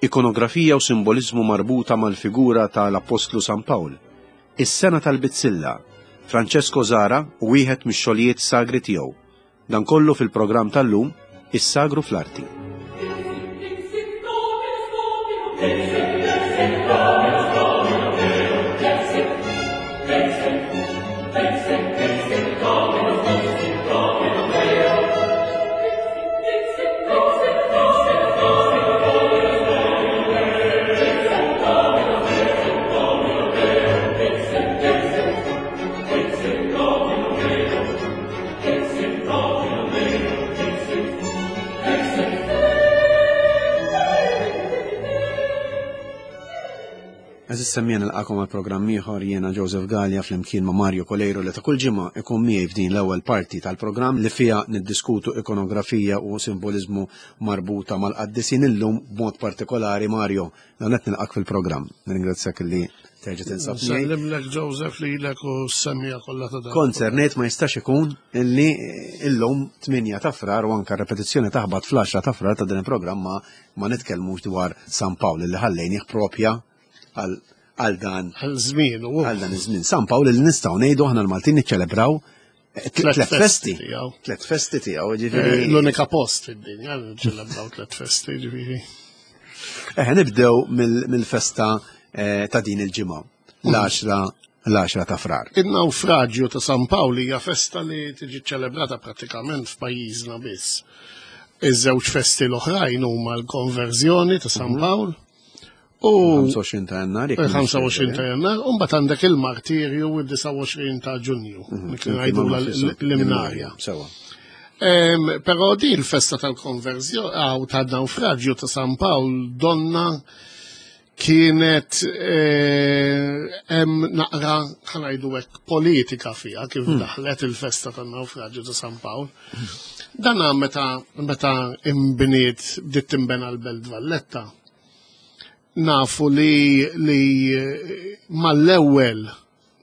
Ikonografija u simboliżmu marbuta mal-figura ta' l-Appostlu San Pawl. Is-sengħa tal-bizzilla, Francesco Zahra u wieħed mix-xogħlijiet sagri tiegħu. Dan kollu fil-programm tal-lum, Is-Sagru fl-Arti. Għaziz semmija nilqakom għal programm ieħor jiena Joseph Gallia flimkien ma' Mario Coleiro li ta' kull ġimgħa ikun miegħi f'din l-ewwel parti tal-programm li fiha niddiskutu ikonografija u simboliżmu marbuta mal-qaddisin illum b'mod partikolari Mario. Dan qed nilqak fil-programm. Nirringrazzjak li terġa' tinsab. Sellimlek Joseph lilek u s-semmija kollha ta' dan. Konzernejt ma jistax ikun illi illum 8 ta' frar u anka repetizzjoni taħbat fl-10 ta' frar ta' din il-programm ma, ma nitkellmux dwar San Pawl li ħallejnih propja għal għal dan għal żmien u għal dan iż-żmien. San Pawl li nistgħu ngħidu aħna l-Maltin niċċelebraw tlet festi. Tlet festi tiegħu, ġifieri. Eh, l-unika post fid-dinja ċelebraw tlet festi, ġifieri. Eh, nibdew mill-festa eh, ta' din il-ġimgħa, l-10 l-10 ta' frar. Il-naufraġju ta' San Pawl hija festa li tiġi ċelebrata prattikament f'pajjiżna biss. Iż-żewġ festi l-oħrajn huma l-konverżjoni ta' San mhm. Pawl U 25 ta' jannar. 25 ta' jannar, u mbagħad għandek il-martirju il-29 ta' Ġunju, mhm, li ngħidu l-imnarja. Sewa. Però di l-festa tal-konverżjoni għaw ta' naufraġju ta' San Pawl donna kienet eh, hemm naqra ħanajdu hekk politika fiha kif hmm. daħlet il-festa tan-naufraġju ta' San Pawl. Dana meta meta imbniet bdiet timbena l-Belt Valletta Nafu li li mal-ewwel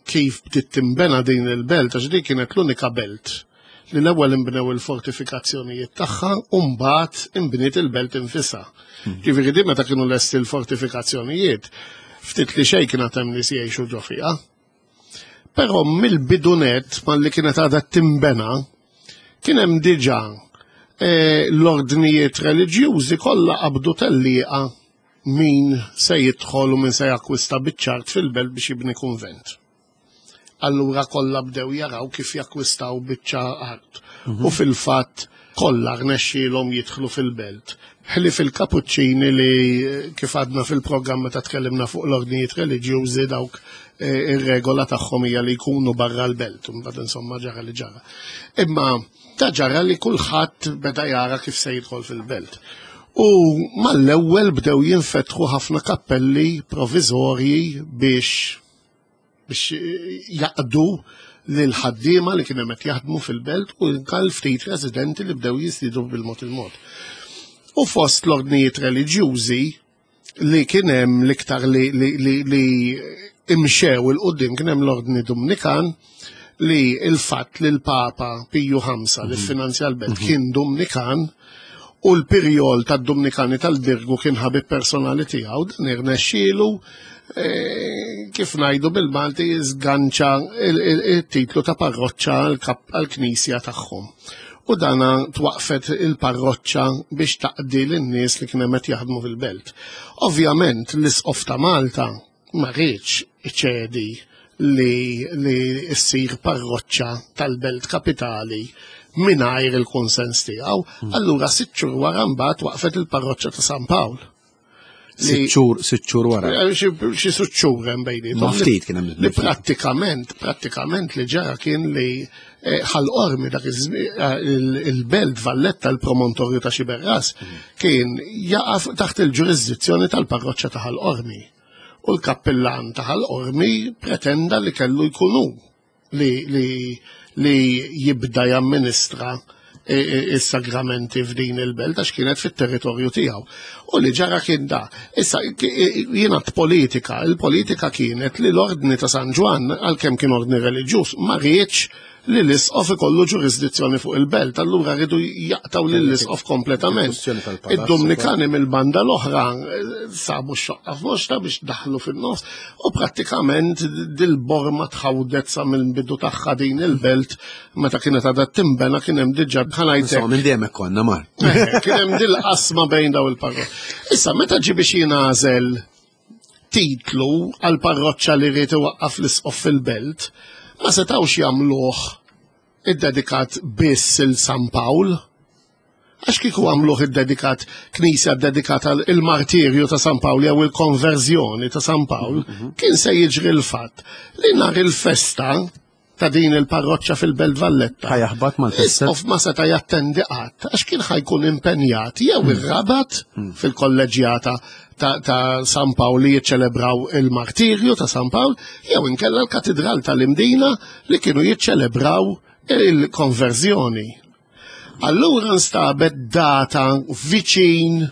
kif bdiet tinbena din il-belt, għax din kienet l-unika belt li l-ewwel inbnew il-fortifikazzjonijiet tagħha u mbagħad inbniet il-belt infisha. Hmm. Ġifieri din meta kienu lesti l-fortifikazzjonijiet, ftit li xejn kien hemm nies jgħixu ġo fiha. Però mill-bidu nett malli kienet għadha timbena, kien hemm diġà eh, l-ordnijiet reliġjużi kollha qabdu tellieqa min se jidħol u min se jakkwista biċ-ċart fil-belt biex jibni kunvent. Allura kollha bdew jaraw kif jakkwistaw biċċa art. Mhm. U fil-fatt kollha rnexxielhom jidħlu fil-belt. Ħlief il-Kapuċċini li kif għadna fil-programm meta tkellimna fuq l-ordnijiet reliġjużi dawk eh, ir-regola tagħhom hija li jkunu barra l-belt, mbagħad insomma ġara li ġara. Imma ta' ġara li kulħadd beda jara kif se jidħol fil-belt. U mal-ewwel bdew jinfetħu ħafna kappelli proviżorji biex biex jaqdu lil ħaddiema li kienu qed jaħdmu fil-belt u anke ftit residenti li bdew jiżdiedu bil-mod il-mod. U fost l-ordnijiet reliġjużi li kien hemm l-iktar li, li, li, li imxew il-qudiem kien hemm l-ordni Dumnikan li il-fatt li l-Papa Piju V li mhm. finanzja l-belt mhm. kien Dumnikan u l-pirjol tad-Dumnikani tal-Birgu kien ħabib personali tiegħu, dan irnexxielu eh, kif ngħidu bil-Malti żganċa il-titlu ta' parroċċa għall-knisja tagħhom. U dana twaqfet il-parroċċa biex taqdi lin-nies li kien hemm qed jaħdmu fil-belt. Ovvjament l-Isqof ta' Malta ma riedx iċedi li li ssir parroċċa tal-belt kapitali mingħajr il-kunsens tiegħu. Hmm. Allura sitt xhur wara mbagħad waqfet il-parroċċa ta' San Pawl. Sitt xhur, sitt xhur wara. Eh, xi sitt xhur hemm bejniethom. Ma ftit kien hemm. Li prattikament, prattikament li ġara kien li eh, Ħal Qormi dak eh, il-belt Valletta l-promontorju ta' Xiberras hmm. kien jaqaf taħt il-ġurisdizzjoni tal-parroċċa ta' Ħal Qormi. U l-kappillan ta' Ħal Qormi pretenda li kellu jkunu li, li, li jibda jamministra is-sagramenti f'din il-belt għax kienet fit-territorju tiegħu. U li ġara kien da. Issa jiena politika, il-politika kienet li l-ordni ta' San Ġwann għalkemm kien ordni reliġjuż ma riedx. li l-isqof ikollu ġurisdizzjoni fuq il-belt, allura rridu jaqtaw lill-isqof kompletament. Id-Dumnikani mill-banda l-oħra eh, sabu x-xoqqa f'moxta biex daħlu fin-nofs u prattikament dil-borma tħawdet sa mill-bidu tagħha din il-belt meta kienet għadha timbena kien hemm diġà bħalajtek. Minn dejjem hekk konna mar. Eh, kien hemm dil-qasma bejn daw il-parro. Issa meta ġi biex jingħażel titlu għal parroċċa li ried iwaqqaf l-isqof fil-belt, ma setgħux jagħmluh iddedikat biss il San Pawl. Għax kieku għamluh iddedikat knisja ddedikata il-martirju ta' San Pawl jew il-konverżjoni ta' San Pawl, mhm. kien se jiġri l-fatt li nhar il-festa ta' din il-parroċċa fil-Belt Valletta. Ħajaħbat mal-festa. Isqof ma seta' jattendi qatt għax kien ħajkun impenjat jew hmm. ir-Rabat hmm. fil-kolleġjata ta', ta San Pawl li jiċċelebraw il-martirju ta' San Pawl jew inkella l-Katidral tal-Imdina li kienu jiċċelebraw il-konverżjoni. Allura nstabet data viċin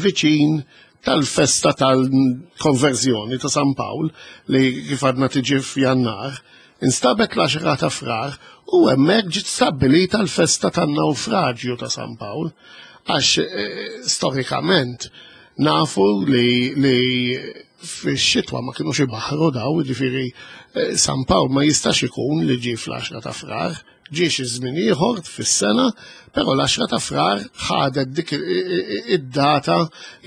viċin tal-festa tal-konverżjoni ta' San Pawl li kif għadna tiġi f'Jannar, instabet l-10 ta' Frar u hemmhekk ġiet stabbilita l-festa tan-nawfraġju ta' San Pawl għax eh, storikament nafu li, li fix-xitwa ma kienux ibaħru daw, ġifieri eh, San Pawl ma jistax ikun li ġie fl-10 ta' Frar, Ġie xi żmien ieħor fis-sena, però l-10 ta' Frar ħadet dik id-data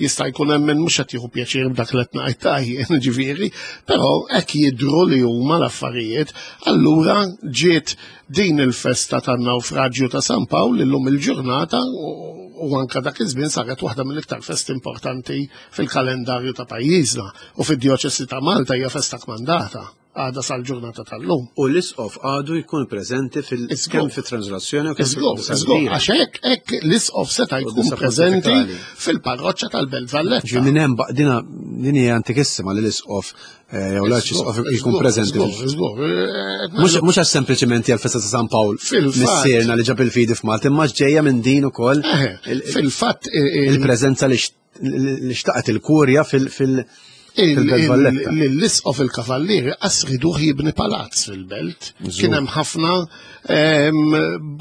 jista' jkun hemm min mhux qed jieħu pjaċir b'dak li qed ngħid ta' jien ġifieri, però hekk jidhru li huma l-affarijiet. Allura ġiet din il-festa tan-nawfraġju ta' San Pawl illum il-ġurnata u anka dak iż-żmien saret waħda mill-iktar festi importanti fil-kalendarju ta' pajjiżna u fid-djoċesi ta' Malta hija festa kmandata. għadha sal-ġurnata tal-lum. U l-isqof għadu jkun preżenti fil-kemm fit-translazzjoni u kemm fil Għax hekk hekk l-isqof seta' jkun preżenti fil-parroċċa tal-Belt Valletta. Ġi minn hemm dina din hija antikissima li l-isqof eh, jew l-arċisqof jkun preżenti. Eh, mhux għax sempliċiment hija l-festa ta' San Pawl missierna li ġab il-fidi f'Malta, imma ġejja minn din ukoll. Fil-fatt il-preżenza li li xtaqet il-kurja fil- fil- L-isqof il-kavallieri qas riduh jibni palazz fil-belt. Kien hemm ħafna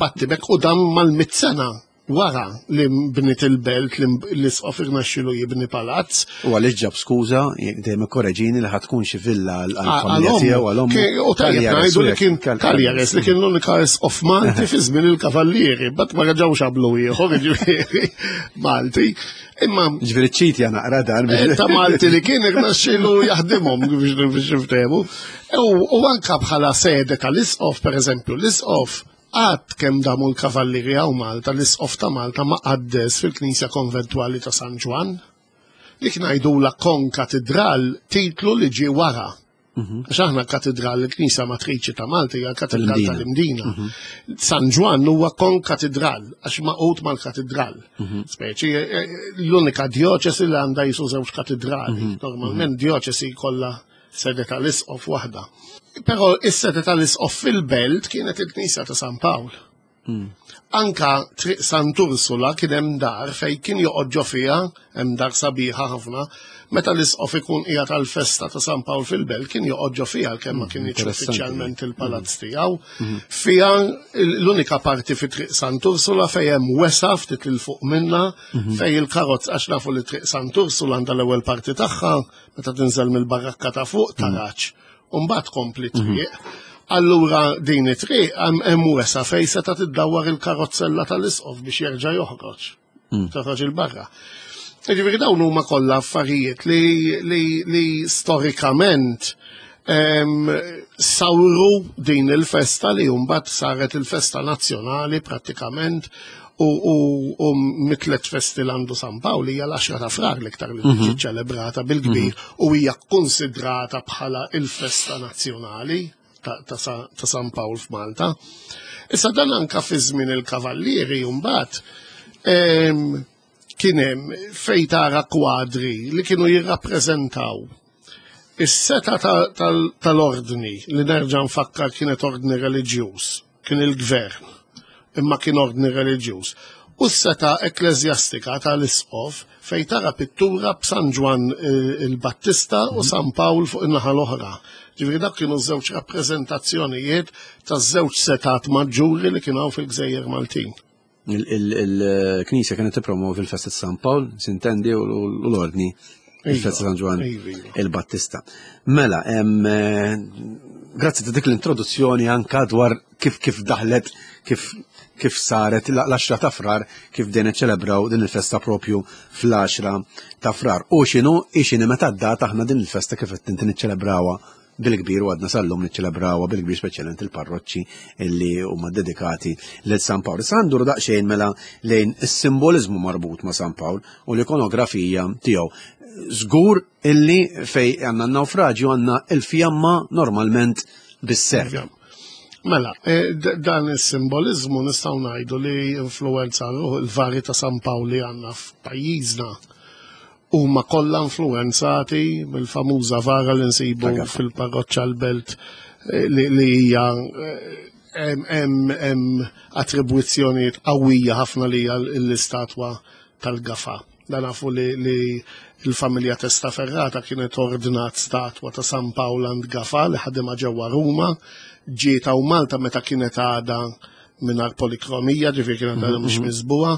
battibek u dan mal-mit sena wara li bnit il-belt li l-isqof irnexxilu jibni palazz. U għaliex ġab skuża, dejjem ikkoreġini li ħatkun xi villa għall-familja tiegħu għal ommu. U tajjeb ngħidu li kien Cagliares li kien l-unika isqof Malti fi żmien il-Kavallieri, bat ma reġgħux għamlu ieħor jiġifieri Malti. Imma Ġifieri ċiti naqra dan. Eh, ta' Malti li kien irnexxielu jaħdimhom biex niftehmu. U anka bħala sede tal-isqof, pereżempju, l-isqof għad kemm damu l-kavallieri hawn Malta, l-isqof ta' Malta ma qaddes fil-Knisja Konventwali ta' San Ġwann. Dik ngħidula konkatedral titlu li ġie wara. Mhm. Għax aħna katedral, il-Knisja Matriċi ta' Malta hija katedral tal-Imdina. Mhm. San Ġwann huwa konkatedral, għax maqut mal-katedral. Mhm. Speċi, eh, eh, l-unika djoċesi li għandha jisu żewġ katedrali. Normalment djoċesi kollha sede tal-isqof waħda. Però is-sede tal-isqof fil-belt kienet il-Knisja ta' San Pawl. Hmm. Anka Triq Sant'Ursula kien hemm dar fejn kien joqgħod ġo fiha, hemm dar sabiħa ħafna, meta l-isqof ikun qiegħed għall-festa ta' San Pawl fil-Belt kien joqgħod ġo fiha kemm ma hmm, kienx uffiċjalment il-palazz hmm. tiegħu. Fiha l-unika parti fi Triq Sant'Ursula fejn hemm wesa ftit il fuq minna fejn il-karozz għax nafu li Triq Sant'Ursula għandha l-ewwel parti tagħha meta tinżel mill-barrakka ta' fuq taraġ. U mbagħad tkompli mhm. triq. Allura din it-triq hemm wesa fejn seta' tiddawwar il-karozzella tal-isqof biex jerġa' joħroġ. Mm. Toħroġ il-barra. Ġifieri dawn huma kollha affarijiet li, li, li storikament sawru din il-festa li mbagħad saret il-festa nazzjonali prattikament u, u, u mitlet festi l-għandu San Pawl hija l-10 ta' frar l-iktar li tiġi mhm. ċelebrata bil-kbir mhm. u hija konsidrata bħala il-festa nazzjonali ta', ta, ta San Pawl f'Malta. Issa dan anka fi żmien il-Kavallieri mbagħad kien hemm fejn tara kwadri li kienu jirrappreżentaw is-seta tal-ordni li nerġa' nfakkar kienet ordni reliġjuż kien il-gvern, imma kien ordni reliġjuż, u s-setgħa ekkleżjastika ta' l-isqof fejn tara pittura b'San Ġwann eh, il-Battista u mhm. San Pawl fuq in-naħa l-oħra. Ġifieri dak kienu żewġ rappreżentazzjonijiet ta' żewġ setat maġġuri li kienu fil-Gżejjer Maltin. Il-Knisja kienet tippromovi l-festa ta' San Pawl, sintendi u l-ordni il-festa San Ġwann iva, iva. il-Battista. Mela, eh, grazzi ta' dik l-introduzzjoni anka dwar kif kif daħlet, kif kif saret l-10 ta' frar, kif dejna ċelebraw din il-festa propju fl-10 ta' frar. U xinu, xinu meta d-data aħna din il-festa kif qed inti niċċelebrawha bil-kbir u għadna sal-lum niċċelebrawha bil-kbir speċjalment il-parroċċi illi huma dedikati lil San Pawl. Issa nduru daqsxejn mela lejn is-simboliżmu marbut ma' San Pawl u l-ikonografija tiegħu. Żgur illi fej għandna n-nawfraġju għandna il-fjamma normalment bis-serp. Mela, eh, dan is-simboliżmu nistgħu ngħidu li influenza l-vari ta' San Pawl li għandna f'pajjiżna huma kollha influwenzati mill-famuża vara li nsibu fil-parroċċa l-belt eh, li hija eh, hemm attribwizzjonijiet qawwija ħafna li hija l-istatwa tal-gafa. Dan nafu li l-familja Testaferrata kienet ordnat statwa ta' San Pawl għand Gafa li ħadimha ġewwa Ruma, ġiet hawn Malta meta kienet għadha mingħajr polikromija, ġifieri kienet għadha mhux mhm. miżbuha,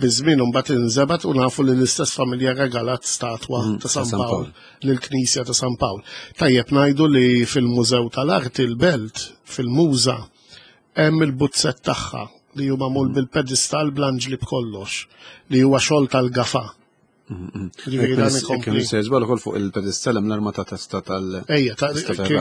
biż-żmien imbagħad inżebgħet u nafu li l-istess familja regalat statwa mhm, ta' San Pawl lill-Knisja ta' San Pawl. Tajjeb ngħidu li fil-Mużew tal-Arti l-Belt, fil-Muża, hemm il-buzzett tagħha li hu magħmul mhm. bil-pedestal bl-anġli b'kollox, li huwa xogħol tal-gafa. Ġifieri dan ikompli. Kien se żball ukoll fuq il-pedestall hemm l-arma ta' testa tal. Ejja,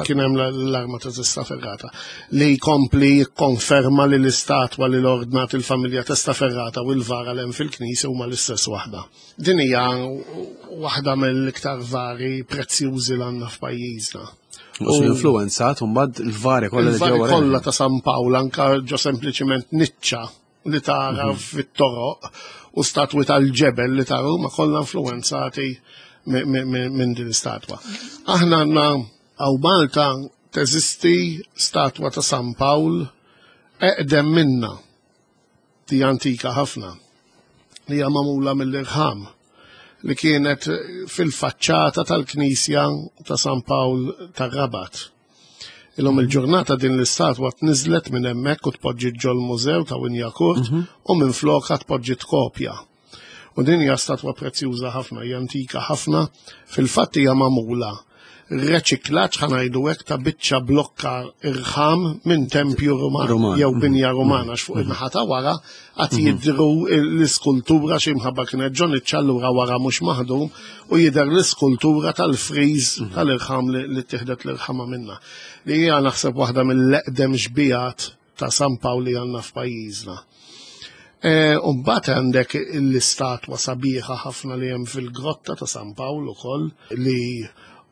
kien hemm l-arma ta' testa ferrata li jkompli jikkonferma li l-istatwa li l-ordnat il-familja testa ferrata u l-vara l hemm fil-knisja huma l-istess waħda. Din hija waħda mill-iktar vari prezzjużi l għandna f'pajjiżna. U influenzat mbagħad il-vari kollha Il-vari kollha ta' San Pawl anka ġo sempliċiment niċċa li tara mhm. fit-toroq u statwi tal-ġebel li tara huma kollha influenzati minn din statwa. Aħna għandna għaw Malta teżisti statwa ta' San Pawl eqdem minna di antika ħafna li hija magħmula mill-irħam li kienet fil-faċċata tal-Knisja ta' San Pawl tar-Rabat. Illum il-ġurnata din l-istatwa tniżlet minn hemmhekk u tpoġġiet ġol-mużew ta' Winjakurt mhm. u minn flokha tpoġġiet kopja. U din hija statwa prezzjuża ħafna, hija antika ħafna, fil-fatt hija magħmula reċiklaġġ ħanajdu hekk ta' biċċa blokka irħam minn tempju Ruman jew mhm. binja rumana għax fuq mhm. in-naħa ta' wara għad mhm. jidhru l-iskultura xi mħabba kienet ġon iċ-ċallura wara mhux maħdum u jidher l-iskultura tal-friż mhm. tal-irħam li tieħdet l-irħama minna. Li hija naħseb waħda mill-eqdem xbijat ta' San Pawl li għandna f'pajjiżna. E, u mbagħad għandek l-istatwa sabiħa ħafna li hemm fil-grotta ta' San Pawl ukoll li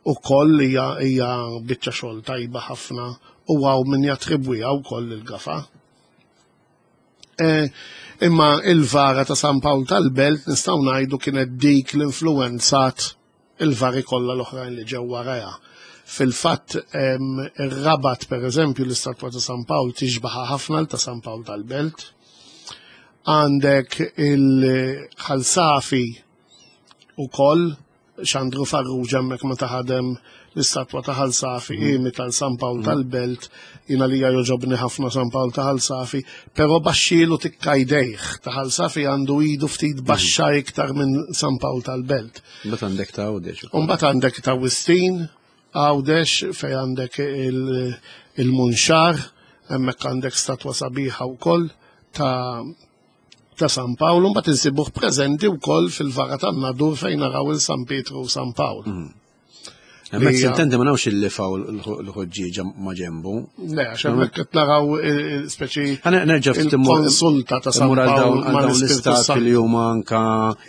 ukoll hija biċċa xogħol tajba ħafna u għaw min jattribwiha wkoll il-gafa. Eh, imma il-vara ta' San Pawl tal-Belt nistgħu ngħidu kienet dik l-influenzat il-vari kollha l-oħrajn li ġew warajha. Fil-fatt ir-Rabat pereżempju l-istatwa ta' San Pawl tixbaħa ħafna l ta' San Pawl tal-Belt. Għandek il-ħalsafi ukoll Xandru Farrugia hemmhekk meta ħadem l-istatwa ta' Ħal Safi mm. imita l San Pawl mm. tal-Belt, jina li joġobni ħafna San Pawl ta' Ħal Safi, però baxxielu tikka jdejh ta' Ħal Safi għandu idu ftit mm. baxxa iktar minn San Pawl tal-Belt. Mbagħad għandek ta' Għawdex. Mbagħad għandek ta' Wistin, Għawdex fej għandek il-Munxar, hemmhekk għandek statwa sabiħa wkoll ta' ta' San Pawl, mbagħad insibuh preżenti wkoll fil-vara tan-Nadur fejn naraw il San Pietru u San Pawl. Mm. Hemmhekk sintendi ma nafx il-lifa u l-ħoġġieġa ma' ġembu. Le, għax hemmhekk qed naraw eh, speċi nerġa' ftit konsulta ta' San Pawl ma' l-istat li huma anka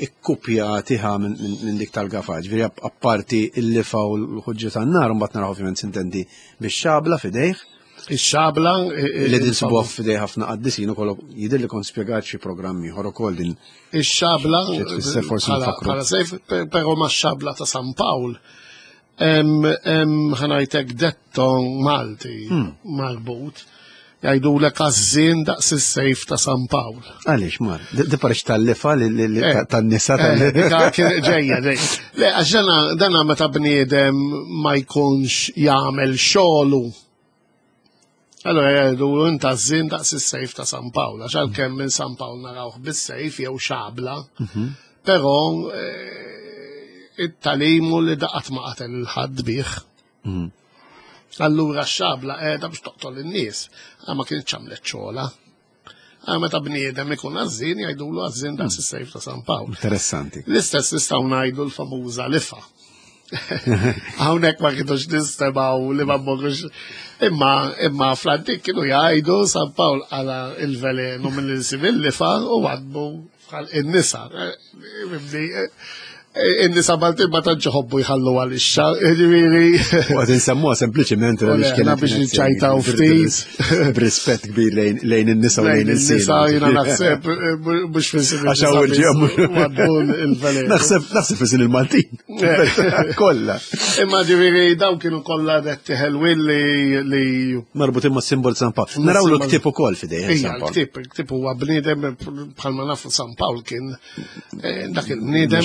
ikkupjati ħa minn dik tal-gafa. Ġifieri apparti il-lifa u l-ħoġġieġa tan-nar mbagħad naraw ovvjament sintendi bix-xabla f'idejh. Ix-xabla. Li din sibuha f'idej ħafna qaddisin ukoll jidher li kont spjegat xi programm ieħor ukoll din. Ix-xabla. Bħala sejf, però ma' xabla ta' San Pawl. Hemm ħanajtek detto Malti hmm. marbut. Jgħidulek għażżien daqs is-sejf ta' San Pawl. Għaliex mar? Di parix tal-lifa eh, tan-nisa eh, tal Ġejja, ġejja. Le, għax dana meta bniedem ma jkunx jagħmel xogħlu. Allora jgħidu inta għażżien daqs is-sejf ta' San Pawl, għax għalkemm minn San Pawl narawh bis-sejf jew xabla, mhm. però eh, it-talimu li daqat ma qatel il-ħadd bih. Mhm. Allura x-xabla qiegħda biex toqtol in-nies, ah, ma kienx għamlet xogħla. Ah, meta bniedem ikun għażin jgħidulu għażin daqs hmm. is-sejf ta' San Pawl. Interessanti. L-istess nistgħu ngħidu l-famuża lifa. Hawnhekk ma kienux nistemaw li ma mmorrux. Imma imma fl-antik kienu jgħidu San Pawl għala il-velenu mill-insim il-lifa u għadbu bħal in-nisa. Eh, in-nisa Maltin ma tantx iħobbu jħallu għal-ixxa, ġifieri. U qed insemmuha sempliċiment għaliex kienet biex niċċajtaw ftit. B'rispett kbir lejn in-nisa u lejn in-nisa jiena naħseb eh, mhux fis Għax hawn il-velenu. Naħseb naħseb fis il-Maltin. Eh. Kollha. Imma ġifieri dawn kienu kollha detti ħelwin li marbutin ma' simbol San Pawl. Naraw l-ktieb ukoll fidejn San Pawl. Il-ktieb huwa bniedem bħalma nafu San Pawl kien eh, dak il-bniedem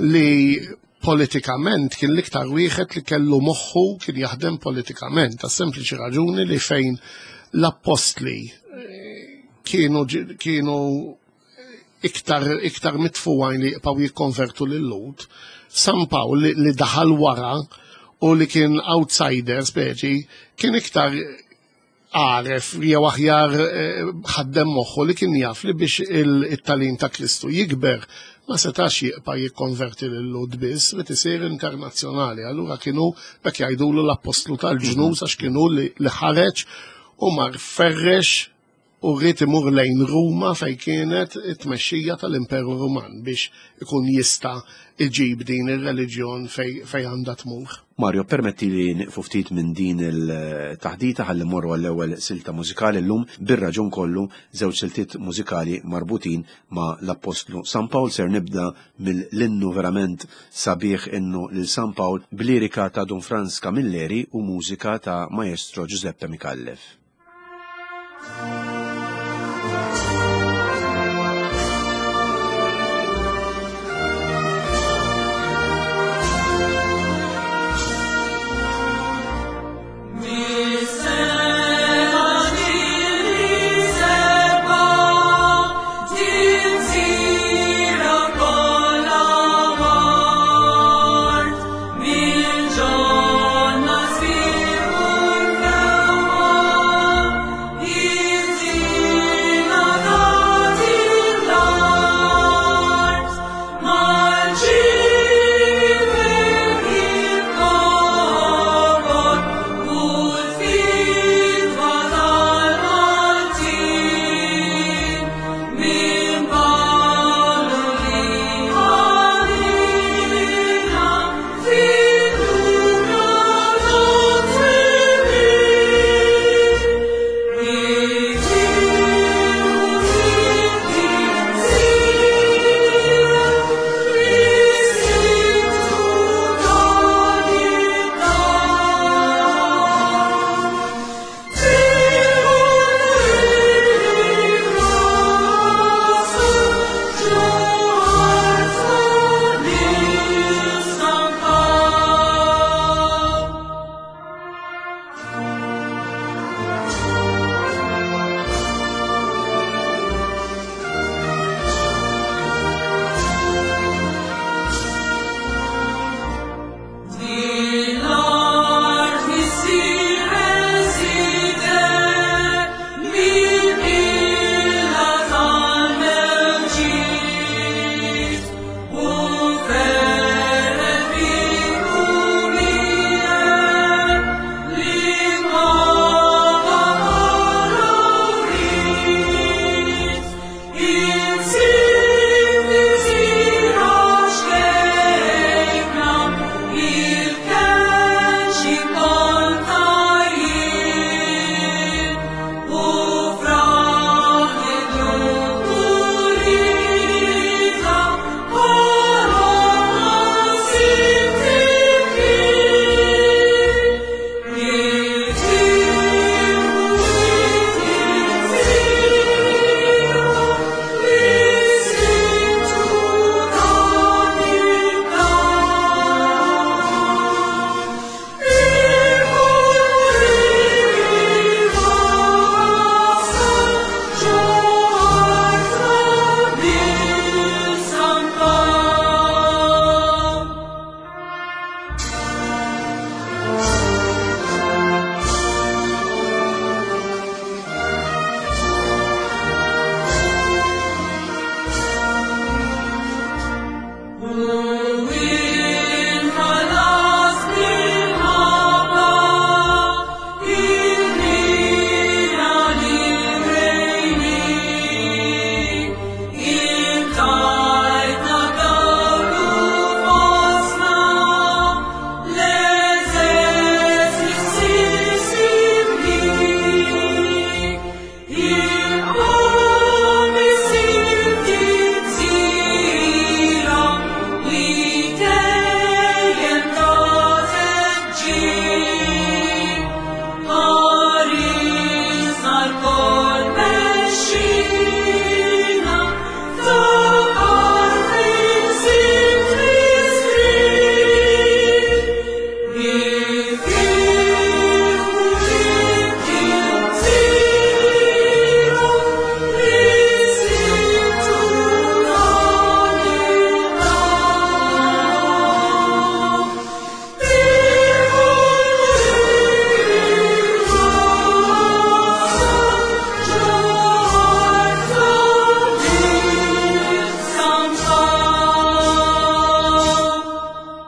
li politikament kien l-iktar wieħed li kellu moħħu kien jaħdem politikament, ta' sempliċi raġuni li fejn l-appostli eh, kienu kienu iktar iktar mitfugħin li jibqgħu jikkonvertu lil Lud, San Pawl li, li daħal wara u li kien outsider speċi kien iktar għaref jew aħjar eh, ħaddem moħħu li kien jaf li biex il-talim ta' Kristu jikber ma setax jibqa' jikkonverti lil Lud biss li tisir internazzjonali. Allura kienu bekk jgħidulu l-appostlu tal-ġnus għax kienu li ħareġ u mar ferrex u rrid imur lejn Ruma fejn kienet it-tmexxija tal-Imperu Ruman biex ikun jista' iġib din ir-reliġjon fejn għandha tmur. Mario, permetti li nieqfu ftit minn din il-taħdita ħalli mmorru għall-ewwel silta mużikali llum bir-raġun kollu żewġ siltiet mużikali marbutin ma' l-Appostlu San Pawl. Ser nibda mill-innu verament sabiħ innu lil San Pawl b'lirika ta' Dun Frans Camilleri u mużika ta' Maestro Giuseppe Micallef.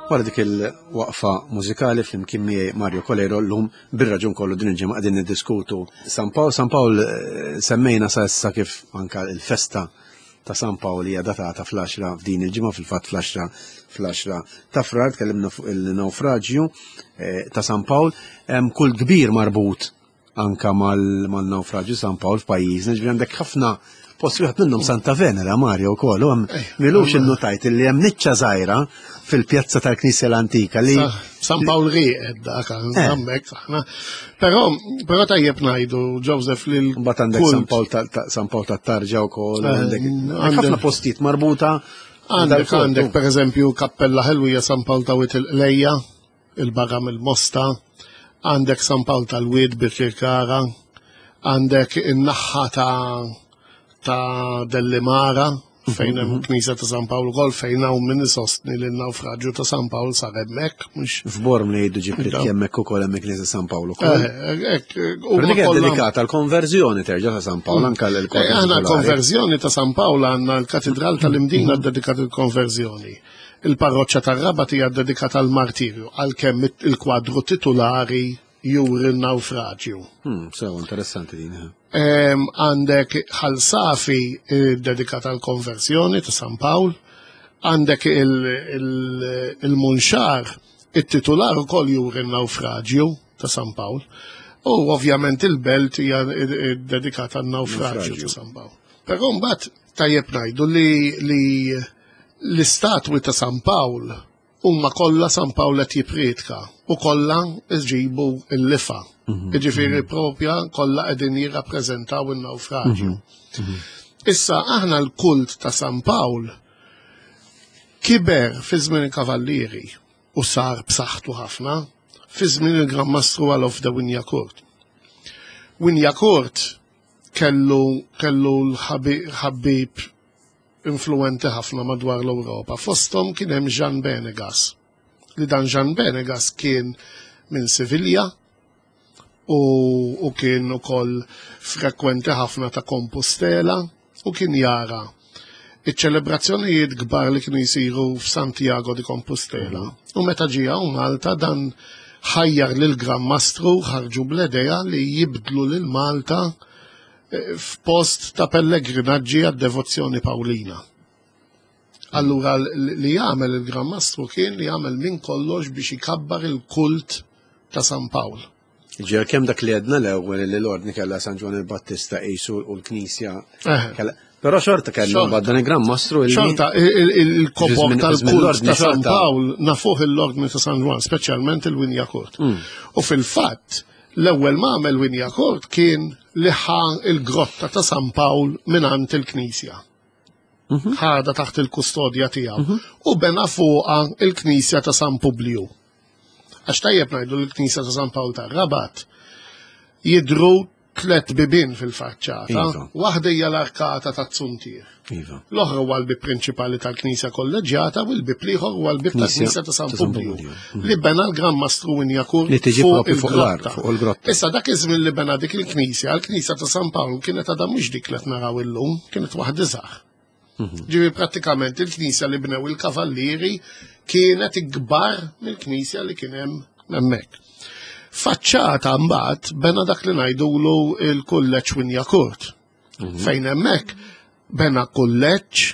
Wara dik il-waqfa mużikali flimkien miegħi Mario Coleiro llum bir-raġun kollu din il-ġimgħa qegħdin niddiskutu San Pawl. San Pawl eh, semmejna sa issa kif anka l-festa ta' San Pawl hija datata fl-10 f'din il-ġimgħa fil-fatt fl-10 fl-10 ta' Frar tkellimna fuq il-naufraġju eh, ta' San Pawl. Hemm kull kbir marbut anka mal-naufraġju San Pawl f'pajjiżna, ġifieri għandek ħafna post wieħed minnhom Santa Venera Mario wkoll, u hemm eh, milux innutajt li hemm niċċa żgħira fil-pjazza tal-Knisja l-Antika li San Pawl rieqed dak eh. hemmhekk aħna. Però però tajjeb ngħidu Joseph li Mbagħad għandek San Pawl San Pawl tat-Tarġa wkoll eh, għandek ħafna postijiet marbuta Għandek għandek pereżempju Kappella Ħelwija San Pawl ta' Wied il-Qlejja il-barra mill-Mosta, għandek San Pawl tal-Wied Birkirkara, għandek in-naħħa ta' ta' Dellimara fejn hemm mhm. knisja ta' San Pawl ukoll fejn hawn min isostni li n-nawfraġġju ta' San Pawl sar hemmhekk mhux. F'Borm li jgħidu ġibrit hemmhekk ukoll hemm knisja San Pawl ukoll. Eh, hekk eh, dik dedikata l-konverżjoni terġa' ta' San Pawl mm. anke l eh, Aħna l-konverżjoni ta' San Pawl għandna l-Katidral tal-Imdina mm. dedikat il-konverżjoni. Il-parroċċa tar-Rabat hija ddedikata għall-martirju, għalkemm il-kwadru titulari juri n-nawfraġju. Hmm, sew, interessanti din. Eh. Għandek Ħal Safi eh, dedikata għall-konversjoni ta' San Pawl, għandek il-Munxar, it-titular ukoll juri n-nawfraġju ta' San Pawl. U ovvjament il-belt hija eh, dedikata għan-nawfraġju ta' San Pawl. Però mbagħad tajjeb ngħidu li L-istatwi ta' San Pawl huma kollha San Pawl qed jippriedka u kollha jġibu l-lifa. Mhm. Jiġifieri mhm. propja kollha qegħdin jirrappreżentaw in-nawfraġju. Mhm. Issa aħna l-kult ta' San Pawl kiber fi żmien il-Kavallieri u sar b'saħħtu ħafna fi żmien il-Gran Mastru Alof de Wignacourt. Wignacourt kellu kellu l-ħabib influwenti ħafna madwar l-Ewropa. Fosthom kien hemm Jean Benegas. Li dan Jean Benegas kien minn Sivilja u, u kien ukoll frekwenti ħafna ta' Compostela u kien jara iċ-ċelebrazzjonijiet kbar li kienu jsiru f'Santiago di Compostela. U meta ġie hawn Malta dan ħajjar lil Gran Mastru ħarġu bl-idea li jibdlu lil Malta f'post ta' pellegrinaġġi għad-devozzjoni Pawlina. Allura li jagħmel il-Gran Mastru kien li jagħmel minn kollox biex ikabbar il-kult ta' San Pawl. Ġer kemm dak li għedna l-ewwel li l-ordni kellha San Ġwan il-Battista qisu u l-Knisja. Eh. Però xorta kellu mbagħad dan il-Gran Mastru Xorta il-kobok tal-kult ta' San Pawl nafuh l-ordni ta' San Ġwan, speċjalment il-Winja Kurt. Mm. U fil-fatt, L-ewwel ma għamel Wignacourt kien li ħa l-grotta ta' San Pawl mingħand il-knisja. Mhm. Ħadha taħt il-kustodja tiegħu mhm. u bena fuqha il-knisja ta' San Publiju. Għax tajjeb ngħidu l-knisja ta' San Pawl tar-Rabat jidru tlet bibien fil-faċċata. Iva. Waħda hija l-arkata ta' Zuntier. Iva. L-oħra huwa l-bib prinċipali tal-Knisja Kolleġġjata u l-bib l-ieħor huwa l-bib tal-Knisja ta' San Publiju. Mhm. Li bena l-Gran Mastru Winjakur li tiġi fuq il-grotta. Issa dak iż-żmien li bena dik il-Knisja, l-Knisja ta' San Pawl kienet għadha mhux dik li qed naraw illum, kienet waħda iżgħar. Mhm. Ġifi prattikament il-knisja li bnew il-kavallieri kienet ikbar mill-knisja li kien hemm hemmhekk. Faċċata mbagħad bena dak li ngħidulu il-kulleġġ Winjakurt. Mhm. Fejn hemmhekk bena kulleġġ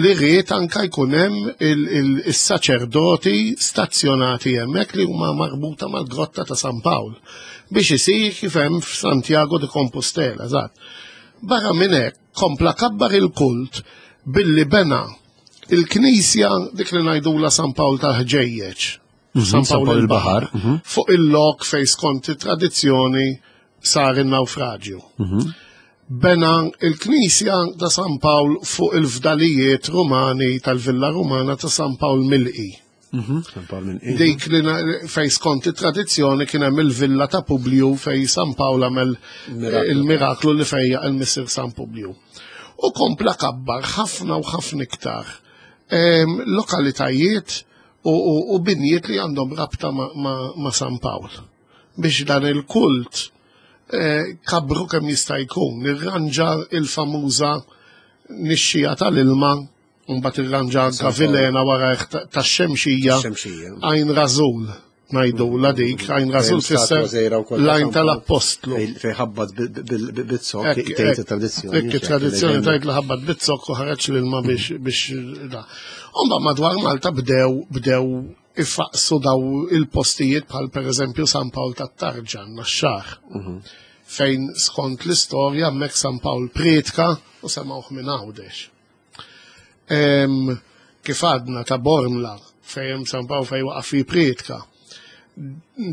li ried anka jkun hemm il-saċerdoti stazzjonati hemmhekk li huma marbuta mal-grotta ta' San Pawl biex isir kif hemm f'Santiago de Compostela, eżatt. Barra minn hekk kompla kabbar il-kult billi bena il-knisja dik li ngħidula San Pawl tal-Ħġejjeġ. Mhm, San Pawl il-Baħar, mhm. fuq il-lok fej skont it-tradizzjoni sar in-nawfraġju. Mhm. Bena il-knisja ta' San Pawl fuq il-fdalijiet Rumani tal-Villa Rumana ta' San Pawl Milqi. Mhm, Dik li fej skont it-tradizzjoni kien hemm il-villa ta' Publiju fej San Pawl għamel il-miraklu li fejja il-Missir San Publiju. U kompla kabbar ħafna u ħafna iktar lokalitajiet u binjiet li għandhom rabta ma' San Pawl. Biex dan il-kult eh, kabru kemm jista' jkun, irranġa il-famuża nixxija tal-ilma. Mbagħad irranġa anka Vilena wara tax-Xemxija. Għajn Rażul ngħidu la dik, għajn Rażul tfisser l-għajn tal-Appostlu. Fejn ħabbat bit-zokk, tgħid it-tradizzjoni. Dik it-tradizzjoni tgħid li ħabbat bit-zokk u ħareġ l-ilma biex da. Mbagħad madwar Malta bdew bdew ifaqsu daw il-postijiet bħal pereżempju San Pawl tat-Tarġan naxxar. Fejn skont l-istorja hemmhekk San Pawl prietka u semgħuh minn Għawdex. Kif għadna ta' Bormla fejn hemm San Pawl fejn waqaf fi prietka.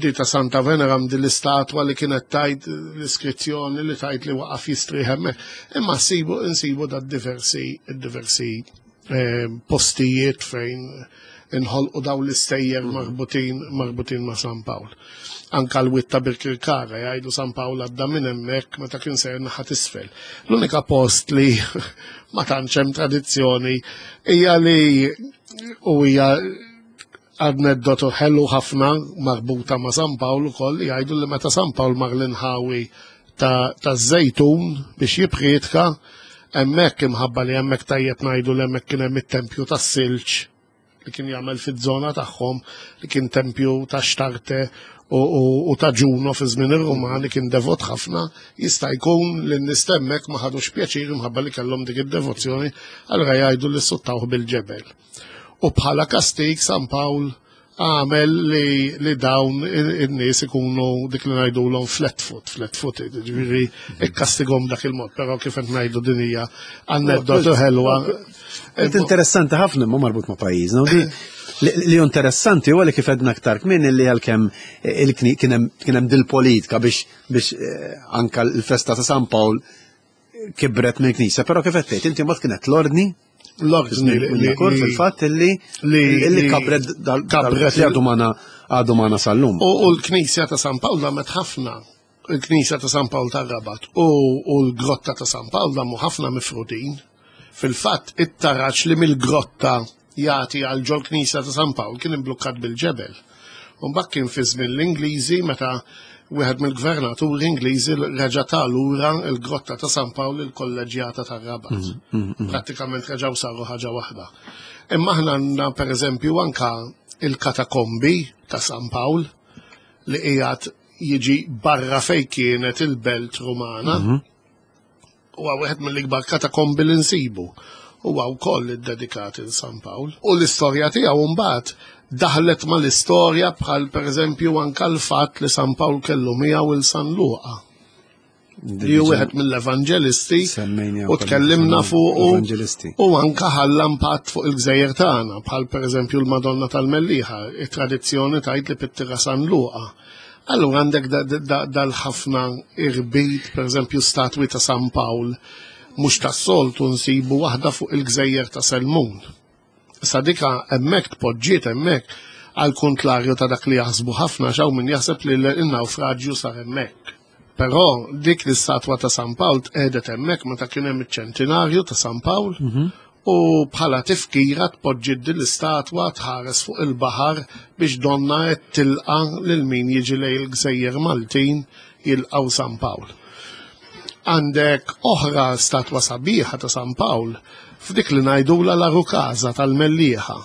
Di ta' Santa Venera di l-istatwa li kienet tajt l-iskrizzjoni li tajt li waqaf jistrieħ hemmhekk. Imma sibu insibu da diversi diversi postijiet fejn inħolqu daw l-istejjer marbutin marbutin ma' San Pawl. Anka l-wied ta' Birkirkara jgħidu San Pawl għadda minn hemmhekk meta kien sejjer naħa t'isfel. L-unika post li ma tantx hemm tradizzjoni hija li u hija aneddotu ħelu ħafna marbuta ma' San Pawl ukoll jgħidu li meta San Pawl mar l-inħawi ta' Żejtun biex jipprietka hemmhekk imħabba li hemmhekk tajjeb ngħidu li hemmhekk kien hemm it-tempju tas-silġ li kien jagħmel fiż-żona tagħhom li kien tempju ta' Xtarte u, u, u ta' Ġuno fi żmien ir-Rumani kien devot ħafna, jista' jkun li n-nies hemmhekk ma ħadux pjaċir imħabba li kellhom dik id-devozzjoni, allura jgħidu li suttawh bil-ġebel. U bħala kastig San Pawl għamel li, li dawn in-nies ikunu dik li ngħidulhom flat foot, flat footed, ġifieri ikkastighom dak il-mod, però kif qed ngħidu din hija aneddotu ħelwa. Interessanti ħafna ma marbut ma' pajjiżna. Li interessanti huwa li kif għedna aktar kmin li għalkemm kien hemm dil-politika biex biex eh, anka l-festa ta' San Pawl kibret mill-Knisja, però kif qed tgħid inti mbagħad kienet l-ordni l-ordni li fil-fatt li li kabret kabret li għadu magħna għadu magħna sal-lum. U l-Knisja ta' San Pawl damet ħafna il-Knisja ta' San Pawl tar-Rabat u l-Grotta ta' San Pawl damu ħafna mifrudin. Fil-fatt it-taraġ li mill-grotta jagħti għal ġol knisja ta' San Pawl kien imblukkat bil-ġebel. U mbagħad kien fi żmien l-Ingliżi meta wieħed mill-gvernaturi Ingliżi reġa' ta lura l-grotta ta' San Pawl il-kolleġjata tar-Rabat. Mm, mm, mm. Prattikament reġgħu saru ħaġa waħda. Imma aħna għandna pereżempju anka il-katakombi ta' San Pawl li qiegħed jiġi barra fejn kienet il-belt Rumana. Mhm. Huwa wieħed mill-ikbar katakombi li nsibu. Huwa wkoll iddedikat il San Pawl. U l-istorja tiegħu mbagħad daħlet mal-istorja bħal pereżempju anka l-fatt li San Pawl kellu miegħu il San Luqa. Li hu wieħed mill-evanġelisti u tkellimna fuq u anka ħalla impatt fuq il-gżejjer tagħna bħal pereżempju l-Madonna tal-Mellieħa, it-tradizzjoni tgħid li pittira San Luqa. Allura għandek dal-ħafna irbit, per eżempju statwi ta' San Pawl, mhux tas-soltu nsibu waħda fuq il-gżejjer ta' Selmun. Sa dika hemmhekk tpoġġiet hemmhekk għal kontlarju ta' dak li jaħsbu ħafna xaw min jaħseb li l-naufraġju sar hemmhekk. Però dik l-istatwa ta' San Pawl tqiegħdet hemmhekk meta kien hemm iċ-ċentinarju ta' San Pawl mhm. u bħala tifkira tpoġġiet din l-istatwa tħares fuq il-baħar biex donna qed tilqa' lil min jiġi lejn il-gżejjer Maltin jilqgħu San Pawl. Għandek oħra statwa sabiħa ta' San Pawl f'dik li ngħidula la Rukaza tal-Mellieħa.